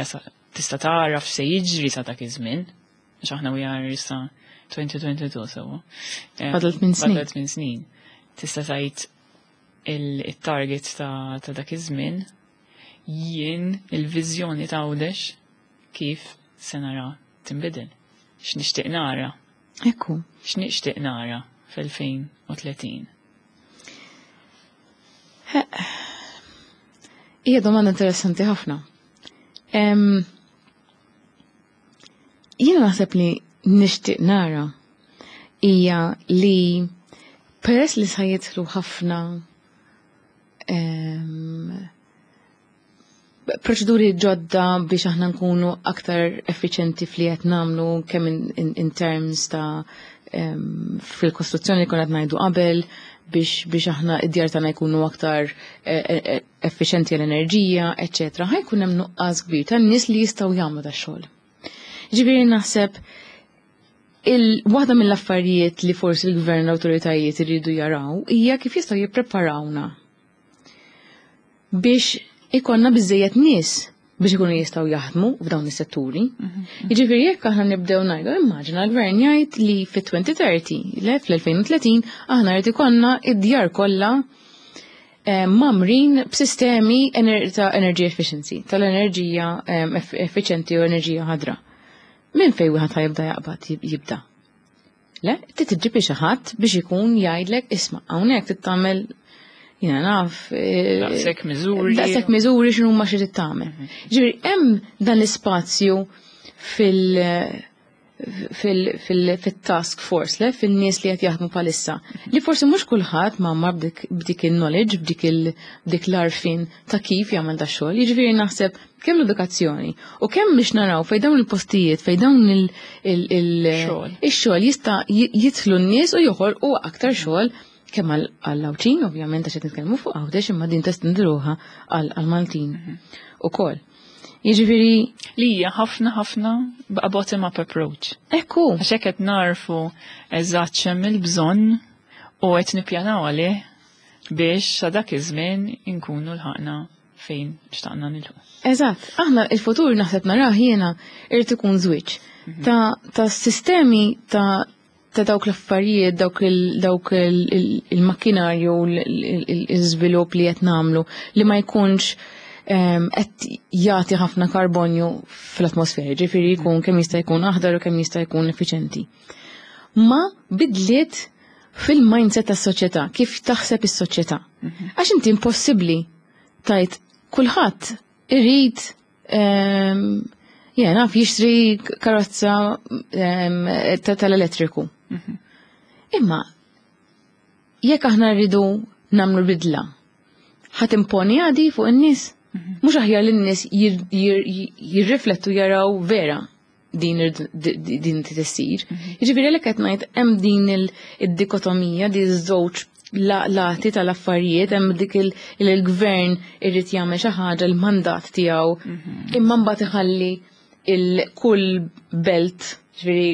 f'se jiġri sa dak iż-żmien, għax aħna we are issa 2022 sewwa. Fadal 8 snin. Fadal 8 snin. Tista' tgħid il-target ta' dak iż-żmien, jien il-viżjoni ta' Għawdex kif se nara tinbidel. X'nixtieq nara? X'nixtieq nara fl-2030? Hija domanda interessanti ħafna. Jiena naħseb li nixtieq nara hija li peress li sa jidħlu ħafna proċeduri ġodda biex aħna nkunu aktar effiċenti fli qed nagħmlu kemm in terms ta' fil-kostruzzjoni li konna qed ngħidu qabel, biex aħna id-djar tagħna jkunu aktar effiċjenti għall-enerġija, eċetera. Ħa jkun hemm nuqqas kbir tan-nies li jistgħu jagħmlu dax-xogħol. Ġifieri naħseb il-waħda mill-affarijiet li forsi l-gvern l-awtoritajiet iridu jaraw hija kif jistgħu jippreparawna biex ikollna biżejjed nies biex ikunu jistgħu jaħdmu f'dawn is-setturi. Jiġifieri jekk aħna nibdew ngħidu, immaġina l-gvern jgħid li fit-2030, le fl-2030, aħna rrid ikollna id-djar kollha mgħammrin b'sistemi ta' energy efficiency, tal-enerġija effiċenti u enerġija ħadra. Minn fejn wieħed ħa jibda jaqbad jibda? Le, trid iġġib xi ħadd biex ikun jgħidlek, "Isma', hawnhekk trid tagħmel, jiena naf, daqshekk miżuri. Daqshekk miżuri, x'inhu ma xi trid tagħmel." Ġifieri hemm dan l-ispazju fil-task force, le, fil-nies li qed jaħdmu bħalissa. Li forsi mhux kulħadd ma b'dik il-knowledge, b'dik l-għarfien ta' kif jagħmel da xogħol. Jiġifieri naħseb kemm l-edukazzjoni u kemm biex naraw fejn dawn il-postijiet, fejn dawn il-xogħol jista' jidħlu n-nies u joħolqu aktar xogħol kemm għall-Għawdxin, ovvjament, għax qed nitkellmu fuq Għawdex, imma din testendi ruħha għall-Maltin ukoll. Jiġifieri li hija ħafna ħafna a bottom up approach. Ekku. Għax hekk qed narfu eżatt x'hemm il-bżonn u qed nippjanaw għalih biex sa dak iż-żmien inkunu lħaqna fejn xtaqna nilħu. Eżatt, aħna il-futur naħseb narah jiena irid ikun żwieġ ta' sistemi ta' dawk l-affarijiet, dawk il-makkinarju, il-żvilupp li qed nagħmlu li ma jkunx qed jagħti ħafna karbonju fl-atmosfera, ġifieri jkun kemm jista' jkun aħdar u kemm jista' jkun effiċenti. Ma bidliet fil-mindset tas-soċjetà, kif taħseb is-soċjetà. Għax inti impossibbli tgħid kulħadd irid jena naf jixtri karozza tal-elettriku. Imma jekk aħna rridu nagħmlu bidla, ħa timponi għadi fuq in-nies? Mhux aħjar li n-nies jirriflettu, jaraw vera din tissir? Jiġifieri għalhekk qed ngħid hemm din id-dikotomija, di żewġ lati tal-affarijiet, hemm dik il-gvern irid jagħmel xi ħaġa, l-mandat tiegħu, imma mbagħad iħalli il-kull belt, ġifieri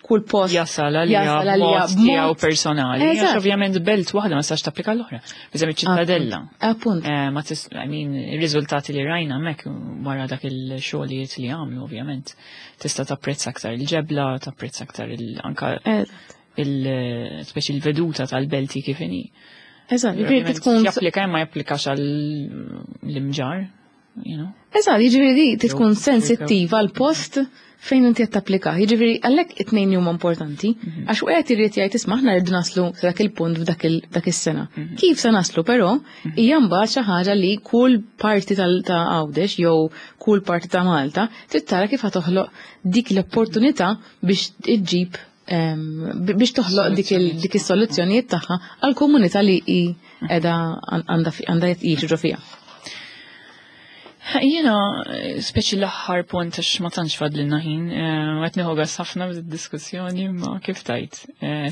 kull post jasal għalija jasal għalija b'mod tiegħu b'mod personali. Għax ovvjament belt waħda ma tistax tapplika l-oħra. Eżempju ċittadella. Ma tis, I mean, ir-riżultati li rajna hemmhekk wara dak il-xogħlijiet li għamlu, ovvjament, tista' tapprezza aktar il-ġebla, tapprezza aktar anka il speċi il-veduta tal-belti kif inhi. Eżatt, jiġifieri Ovvjament, tkun japplika imma japplikax għall-Imġarr, you know. Eżatt, jiġifieri di tkun Jew- sensittiva għal post fejn inti qed tapplika. Jiġifieri għalhekk it-tnejn huma importanti, għax wieħed irid jgħid, "Isma', aħna rridu naslu sa dak il-punt f'dak dak is-sena." Kif se naslu però hija mbagħad xi ħaġa li kull parti ta' Għawdex jew kull parti ta' Malta trid tara kif ħa toħloq dik l-opportunità biex iġġib biex toħloq dik is-soluzzjonijiet tagħha għall-komunità li hi qiegħda għandha jgħixu fiha. Jiena, speċi l-aħħar punt, għax ma tantx fadlilna ħin, qed nieħu gas ħafna bid-diskussjoni, ma kif tajt,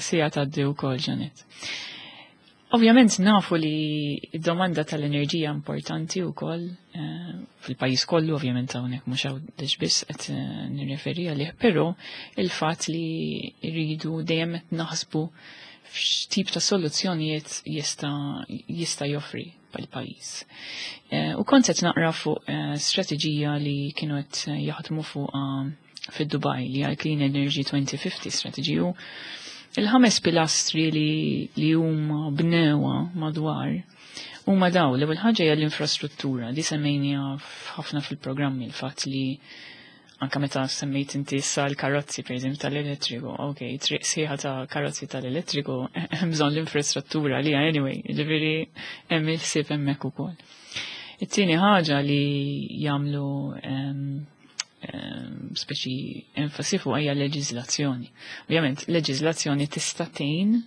sija tgħaddi wkoll, Janet. Ovvjament nafu li d-domanda tal-enerġija importanti wkoll fil-pajjiż kollu, ovvjament hawnhekk mhux Għawdex biss qed nirreferi għalih, però il-fatt li rridu dejjem qed naħsbu f'x'tip ta' soluzzjonijiet jista' joffri pal-pajjiż. U kont qed naqra fuq strateġija li kienu qed jaħdmu fuq fid-Dubai, li għal Clean Energy 2050 strategy, u il-ħames pilastri li huma bnewa madwar huma daw. L-ewwel ħaġa hija l-infrastruttura li semmejnija ħafna fil-programmi, il-fatt li anka meta semmejt inti issa l-karozzi per eżempju tal-elettriku, ok, triq sħiħa ta' karozzi tal-elettriku, hemm bżonn l-infrastruttura li anyway, ġifieri hemm il-ħsieb hemmhekk ukoll. It-tieni ħaġa li jagħmlu speċi enfasi fuq hija leġiżlazzjoni. Ovvjament, leġiżlazzjoni tista' tgħin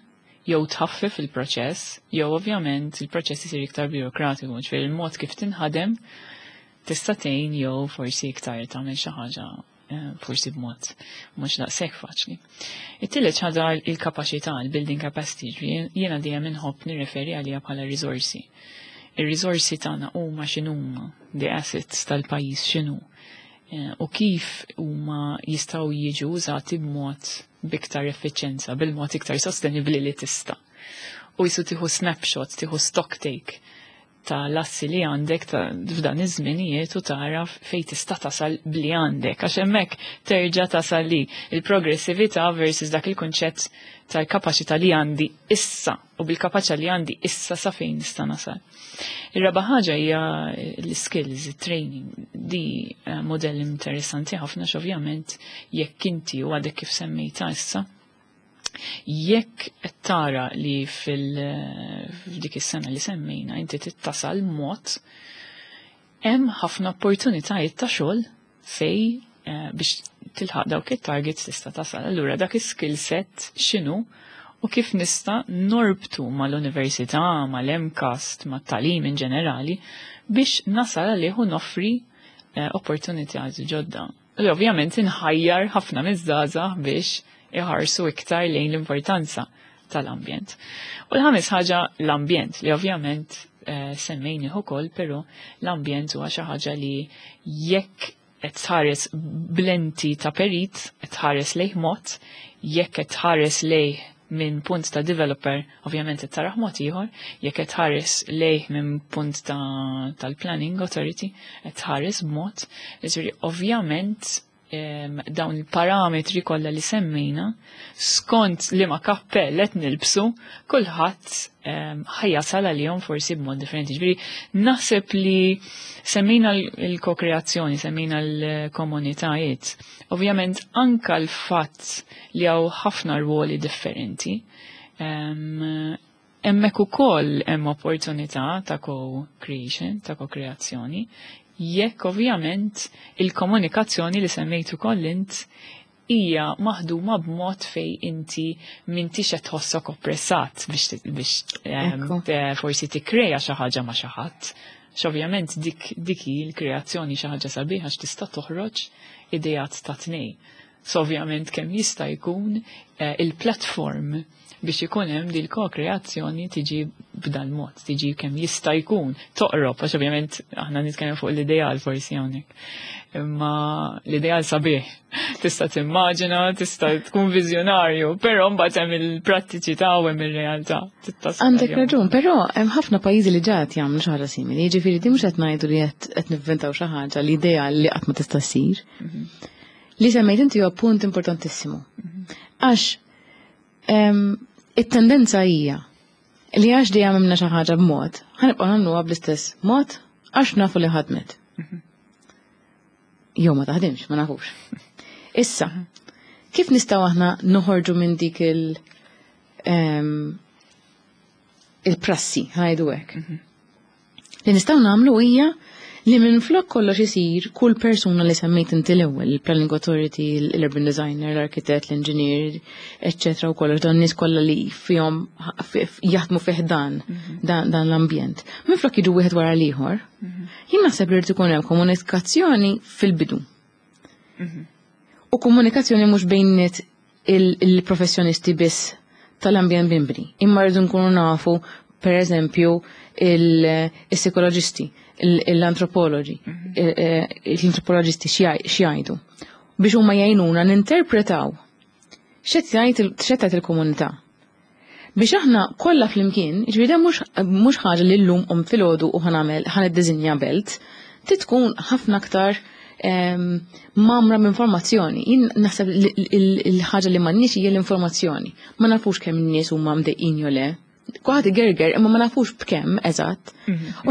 jew tħaffef il-proċess, jew ovvjament il-proċess isir iktar birokratiku, ġifieri il-mod kif tinħadem tista' tgħin jew forsi iktar tagħmel xi ħaġa. Forsi b'mod mhux daqshekk faċli. It-tielet ħaġa il-kapaċità, il-building capacity, jiena dejjem inħobb nirreferi għaliha bħala riżorsi. Ir-riżorsi tagħna huma x'inhuma, the assets tal-pajjiż x'inhu u kif huma jistgħu jiġu użati b'mod b'iktar effiċjenza, bil-mod iktar sostenibbli li tista'. U jisu tieħu snapshot, tieħu stock take ta' l-assi li għandek ta' f'dan iż-żminijiet u tara fejn tista' tasal bli għandek, għax hemmhekk terġa' tasal li il-progressività versus dak il-kunċett tal-kapaċità li għandi issa u bil-kapaċità li għandi issa sa fejn nista' nasal. Ir-raba' ħaġa hija l-skills, il-training. Di modell interessanti ħafna x'ovvjament jekk inti u għadek kif semmejta issa, jekk qed tara li f'dik is-sena li semmejna inti tittasal mod, hemm ħafna opportunitajiet ta' xogħol fej biex tilħaq dawk it-targets tista' tasal. Allura dak is-skill set x'inhu u kif nista' norbtu mal-università, mal-MCAST, mat-tagħlim in ġenerali biex nasal għalih u noffri opportunitajiet ġodda. U ovvjament inħajjar ħafna miż-żgħażagħ biex iħarsu iktar lejn l-importanza tal-ambjent. U l-ħames ħaġa l-ambjent, li ovvjament semmejni ukoll, però l-ambjent huwa xi ħaġa li jekk qed tħares b'lenti ta' perit, qed tħares lejh mod, jekk qed tħares lejh minn punt ta' developer, ovvjament qed taraħ mod ieħor, jekk qed tħares lejh minn punt tal-planning authority, qed tħares b'mod, jiġifieri ovvjament dawn il-parametri kollha li semmejna, skont li ma kappell qed nilbsu, kulħadd ħajjasal għalihom forsi b'mod differenti. Ġifieri naħseb li semmejna l-kokreazzjoni, semmejna l-komunitajiet. Ovvjament anka l-fatt li hawn ħafna rwoli differenti, hemmhekk ukoll hemm opportunità ta' co-creation, ta' ko-kreazzjoni, jekk ovvjament il-komunikazzjoni li semmejtu ukoll int hija maħduma b'mod fej inti m'intix qed tħossok oppressat biex forsi tikkreja xi ħaġa ma' xi ħadd. X'ovvjament dik hi l-kreazzjoni xi ħaġa sabiħa għax tista' toħroġ ideat ta' tnej. So ovvjament kemm jista' jkun il-platform biex ikun hemm dil ko-kreazzjoni tiġi b'dan mod, tiġi kemm jista' jkun toqrob, għax ovvjament aħna nitkellem fuq l-ideal forsi hawnhekk. Imma l-ideal sabiħ, tista' timmaġina, tista' tkun viżjonarju, però mbagħad hemm il-prattiċità u hemm ir-realtà. Għandek raġun, però hemm ħafna pajjiżi li ġat jagħmlu xi ħaġa simili, jiġifieri di mhux qed ngħidu li qed nivventaw xi ħaġa l-idea li qatt ma tista' ssir. Li semmejt inti huwa punt importantissimu. Għax it-tendenza hija li għax dejjem għamilna xi ħaġa b'mod, ħanibqgħu nagħmluha bl-istess mod għax nafu li ħadmet. Jew ma taħdimx, ma nafux. Issa, kif nistgħu aħna noħorġu minn dik il-prassi, ħajdu hekk? Li nistgħu nagħmlu hija li minn flok kollox isir kull persuna li semmejt inti l-ewwel, il-planning authority, l-urban designer, l-architect, l-engineer, eccetera, u kollox dan nies kollha li fihom jaħdmu fih dan l-ambjent. Minn flok jiġu wieħed wara l-ieħor, jien naħseb li rid ikun hemm komunikazzjoni fil-bidu. U komunikazzjoni mhux bejn il-professjonisti biss tal-ambjent bimbri, imma rridu nkunu nafu per eżempju il-psikoloġisti, l-antropologi, l-antropoloġisti x'jgħidu biex huma jgħinuna ninterpretaw x'qed il-komunità. Biex aħna kollha flimkien, jiġifieri dan mhux ħaġa li llum qom filgħodu u ħa niddisinja belt, tkun ħafna aktar mamra b'informazzjoni. Jien naħseb il-ħaġa li m'għandniex hija l-informazzjoni. Ma nafux kemm in-nies huma mdejqin jew le. Kulħadd igerger, imma ma nafux b'kemm eżatt.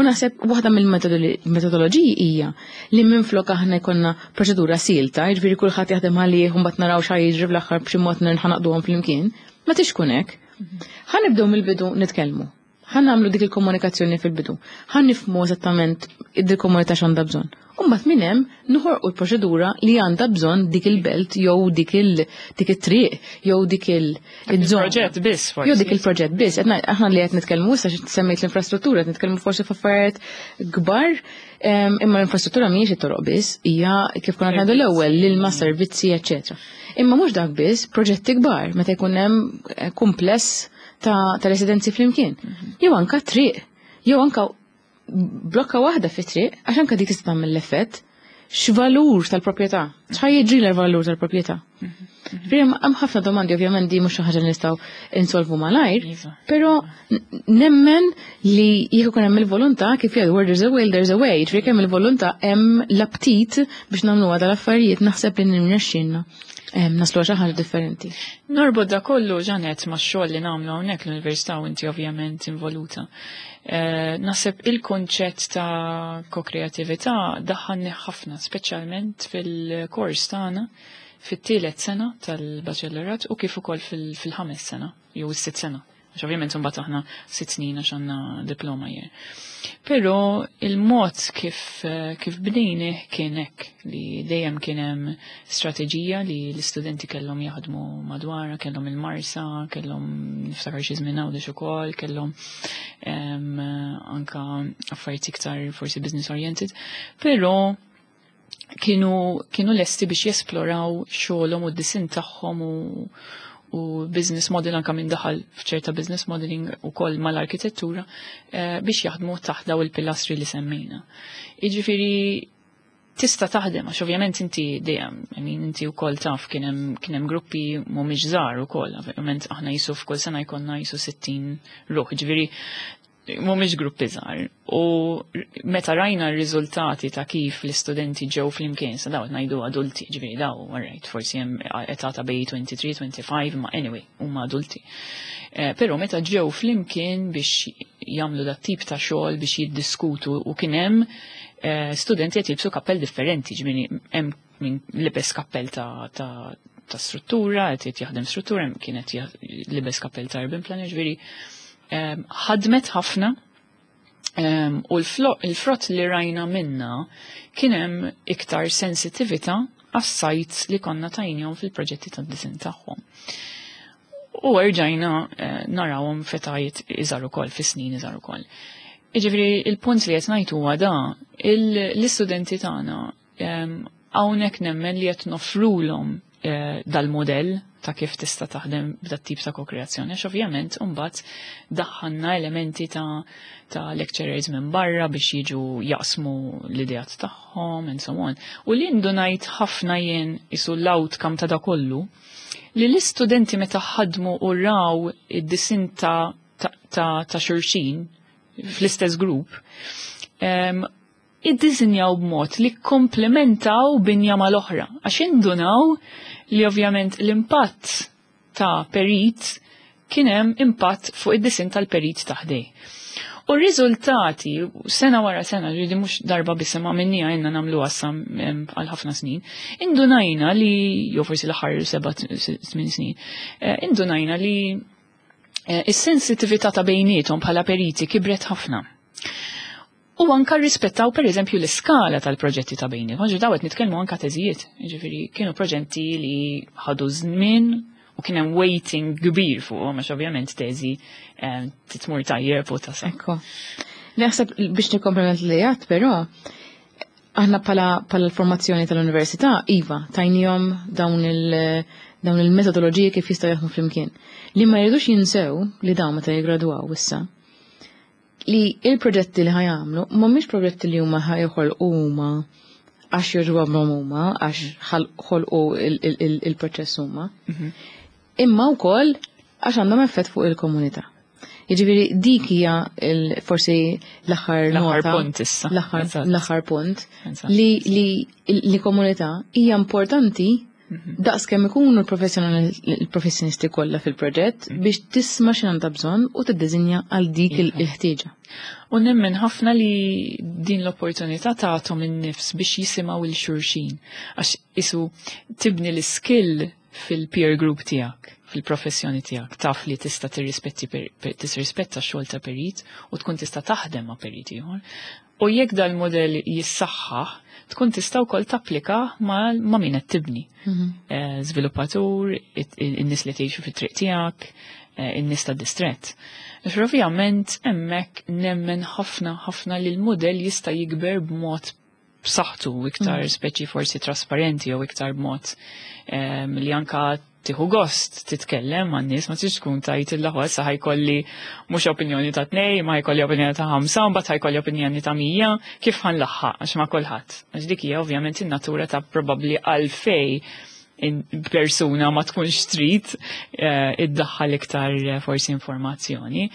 U naħseb waħda mill-metodoloġiji hija li minflok aħna jkollna proċedura silta, jiġifieri kulħadd jaħdem għalih u mbagħad naraw x'ha jiġri fl-aħħar b'xi mod nħanaqduhom flimkien, ma tix tkun hekk. Ħa nibdew mill-bidu nitkellmu. Ħa nagħmlu dik il-komunikazzjoni fil-bidu. Ħa nifhmu eżattament id-komunità x'għandha bżonn. U mbagħad minn hemm noħorqu l-proċedura li għandha bżonn dik il-belt jew dik dik it-triq jew dik il-żona. Proġett biss forsi. Jew dik il-proġett biss. Aħna li qed nitkellmu issa semmejt l-infrastruttura, qed nitkellmu forsi f'affarijiet kbar, imma l-infrastruttura mhijiex it-toroq biss, hija kif konna ngħidu l-ewwel l-ilma, servizzi, eċċetera. Imma mhux dak biss, proġetti kbar, meta jkun hemm kumpless ta' residenzi flimkien. Jew anka triq, jew anka blokka waħda fi triq, għax anka dik tista' tagħmel l-effett. X'valur tal-proprjetà? X'ħa jiġri l-valur tal-proprjetà? Ġifieri hemm ħafna domandi, ovvjament di mhux xi ħaġa li nistgħu insolvu malajr, però nemmen li jekk ikun hemm il-volontà kif jgħidu where there's a will there's a way, ġifieri hemm il-volontà hemm l-aptit biex nagħmluha dal-affarijiet naħseb li nirnexxielna naslu xi ħaġa differenti. Norbot da kollu Jeanette ma' xogħol li nagħmlu hawnhekk l-università u inti ovvjament involuta. Naħseb il-konċett ta' kokreatività daħħalni ħafna, speċjalment fil-kors tagħna fit-tielet sena tal-baċellerat u kif ukoll fil-ħames sena jew is-sitt sena. Għax ovvjament imbagħad aħna 6 snin għax għandna diploma jien. Però il-mod kif bnejni kien hekk li dejjem kien hemm strateġija li l-istudenti kellhom jaħdmu madwarha, kellhom il-Marsa, kellhom niftakar xi żmien Għawdex ukoll, kellhom anka affarijiet iktar forsi business oriented, però kienu lesti biex jesploraw xogħolhom u d-disin tagħhom u business model anka minn daħal f'ċerta business modeling u koll mal-arkitettura biex jaħdmu taħt daw il-pilastri li semmejna. Iġifieri tista' taħdem għax ovvjament inti dejjem, I mean, inti wkoll taf kien hemm gruppi mhumiex żgħar ukoll, ovvjament aħna jisu f'kull sena jkollna jisu 60 ruħ, ġifieri mhumiex gruppi żgħar. U meta rajna r-riżultati ta' kif l-istudenti ġew flimkien, sa daw ngħidu adulti, ġifieri daw, alright, forsi hemm età ta' bej 23, 25, ma anyway, huma adulti. Però meta ġew flimkien biex jagħmlu dat tip ta' xogħol biex jiddiskutu u kien hemm studenti qed jilbsu kappell differenti, ġifieri hemm min libes kappell ta' struttura, qed jaħdem struttura, hemm kienet libes kappell ta' urban planner, ġifieri ħadmet ħafna u l-frott li rajna minna kien hemm iktar sensitività għas-sites li konna tajnihom fil-proġetti tad-disin tagħhom. U rġajna narawhom f'etajiet iżgħar ukoll, fi snin iżgħar ukoll. Jiġifieri il-punt li qed ngħid huwa da, l-istudenti tagħna hawnhekk nemmen li qed noffrulhom dal-modell ta' kif tista' taħdem b'dat tip ta' kokreazzjoni, għax ovvjament imbagħad daħħalna elementi ta' lecturers minn barra biex jiġu jaqsmu l-ideat tagħhom and so on. U li ndunajt ħafna jien isu l-outcome ta' da kollu, li l-istudenti meta ħadmu u raw id-disin ta' xulxin fl-istess grupp, iddisinjaw b'mod li komplementaw binja mal-oħra. Għax indunaw li ovvjament l-impatt ta' perit kien hemm impatt fuq id-disin tal-perit ta' ħdejh. U r-riżultati, sena wara sena, ġifieri mhux darba biss ma minni għajna nagħmlu għassam għal ħafna snin, indunajna li, jew forsi l-aħħar 7-8 snin, indunajna li is-sensitività ta' bejniethom bħala periti kibret ħafna. U anka rispettaw per eżempju l-iskala tal-proġetti ta' bejniethom. Ġi dawet nitkellmu anka teżijiet, ġifieri kienu proġetti li ħadu żmien u kien hemm waiting kbir fuqhom għax ovvjament teżi titmur tajjeb u tasal. Ekku. Naħseb biex nikkomplement li għat, però, aħna pala l-formazzjoni tal-università, iva, tajnihom dawn il-metodoloġiji kif jistgħu jaħdmu flimkien. Li ma jridux jinsew li dawn meta jiggradwaw issa, li il-proġetti li ħa jagħmlu mhumiex proġetti li huma ħa joħolqu huma għax jogħġobhom huma, għax ħolqu il-proċess huma. Imma wkoll għax għandhom effett fuq il-komunità. Jiġifieri dik hija forsi l-aħħar L-aħħar nota. punt issa. L-aħħar punt li komunità hija importanti daqs kemm ikunu l-professjonisti kollha fil-proġett biex tisma' x'in għandha bżonn u tiddiżinja għal dik il-ħtieġa. U nemmen ħafna li din l-opportunità tagħthom in-nifs biex jisimgħu 'l xulxin. Għax isu tibni l-skill fil-peer group tiegħek. fil-professjoni tiegħek taf li tista' tirrispetti tirrispetta x-xogħol ta' perit u tkun tista' taħdem ma' perit ieħor. U jekk dal-modell jissaħħaħ, tkun tista' wkoll tapplika ma' min qed tibni. Żviluppatur, in-nies li tgħixu fit-triq tiegħek, in-nies tad-distrett. Għax ovvjament hemmhekk nemmen ħafna ħafna li l-modell jista' jikber b'mod b'saħħtu iktar speċi forsi trasparenti jew iktar b'mod li anka tieħu gost titkellem man nies, ma tix tkun tajt il-laħwa sa ħa jkolli mhux opinjoni ta' tnej, ma ħa jkolli opinjoni ta' 5, mbagħad ħa jkolli opinjoni ta' 100, kif ħa nlaħħaq għax ma' kulħadd. Għax dik hija ovvjament in-natura ta' probabbli għalfej persuna ma tkunx trid iddaħħal iktar forsi informazzjoni.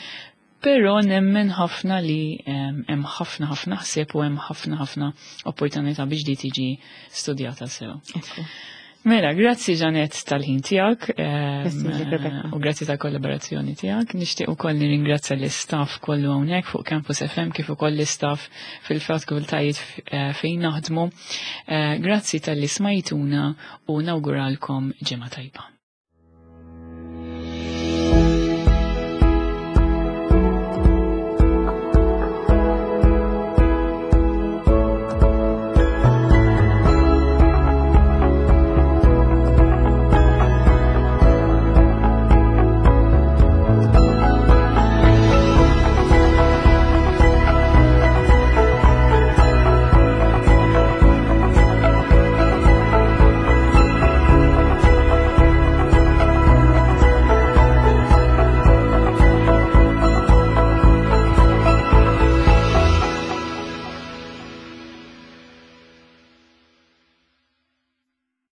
Però nemmen ħafna li hemm ħafna ħafna ħsieb u hemm ħafna ħafna opportunità biex di tiġi studjata sew. Mela, grazzi Janet tal-ħin tiegħek u grazzi tal-kollaborazzjoni tiegħek. Nixtieq ukoll nirringrazzja l-istaff kollu hawnhekk fuq Campus FM kif ukoll l-istaff fil-fakultajiet fejn naħdmu. Grazzi talli smajtuna u nawguralkom ġimgħa tajba.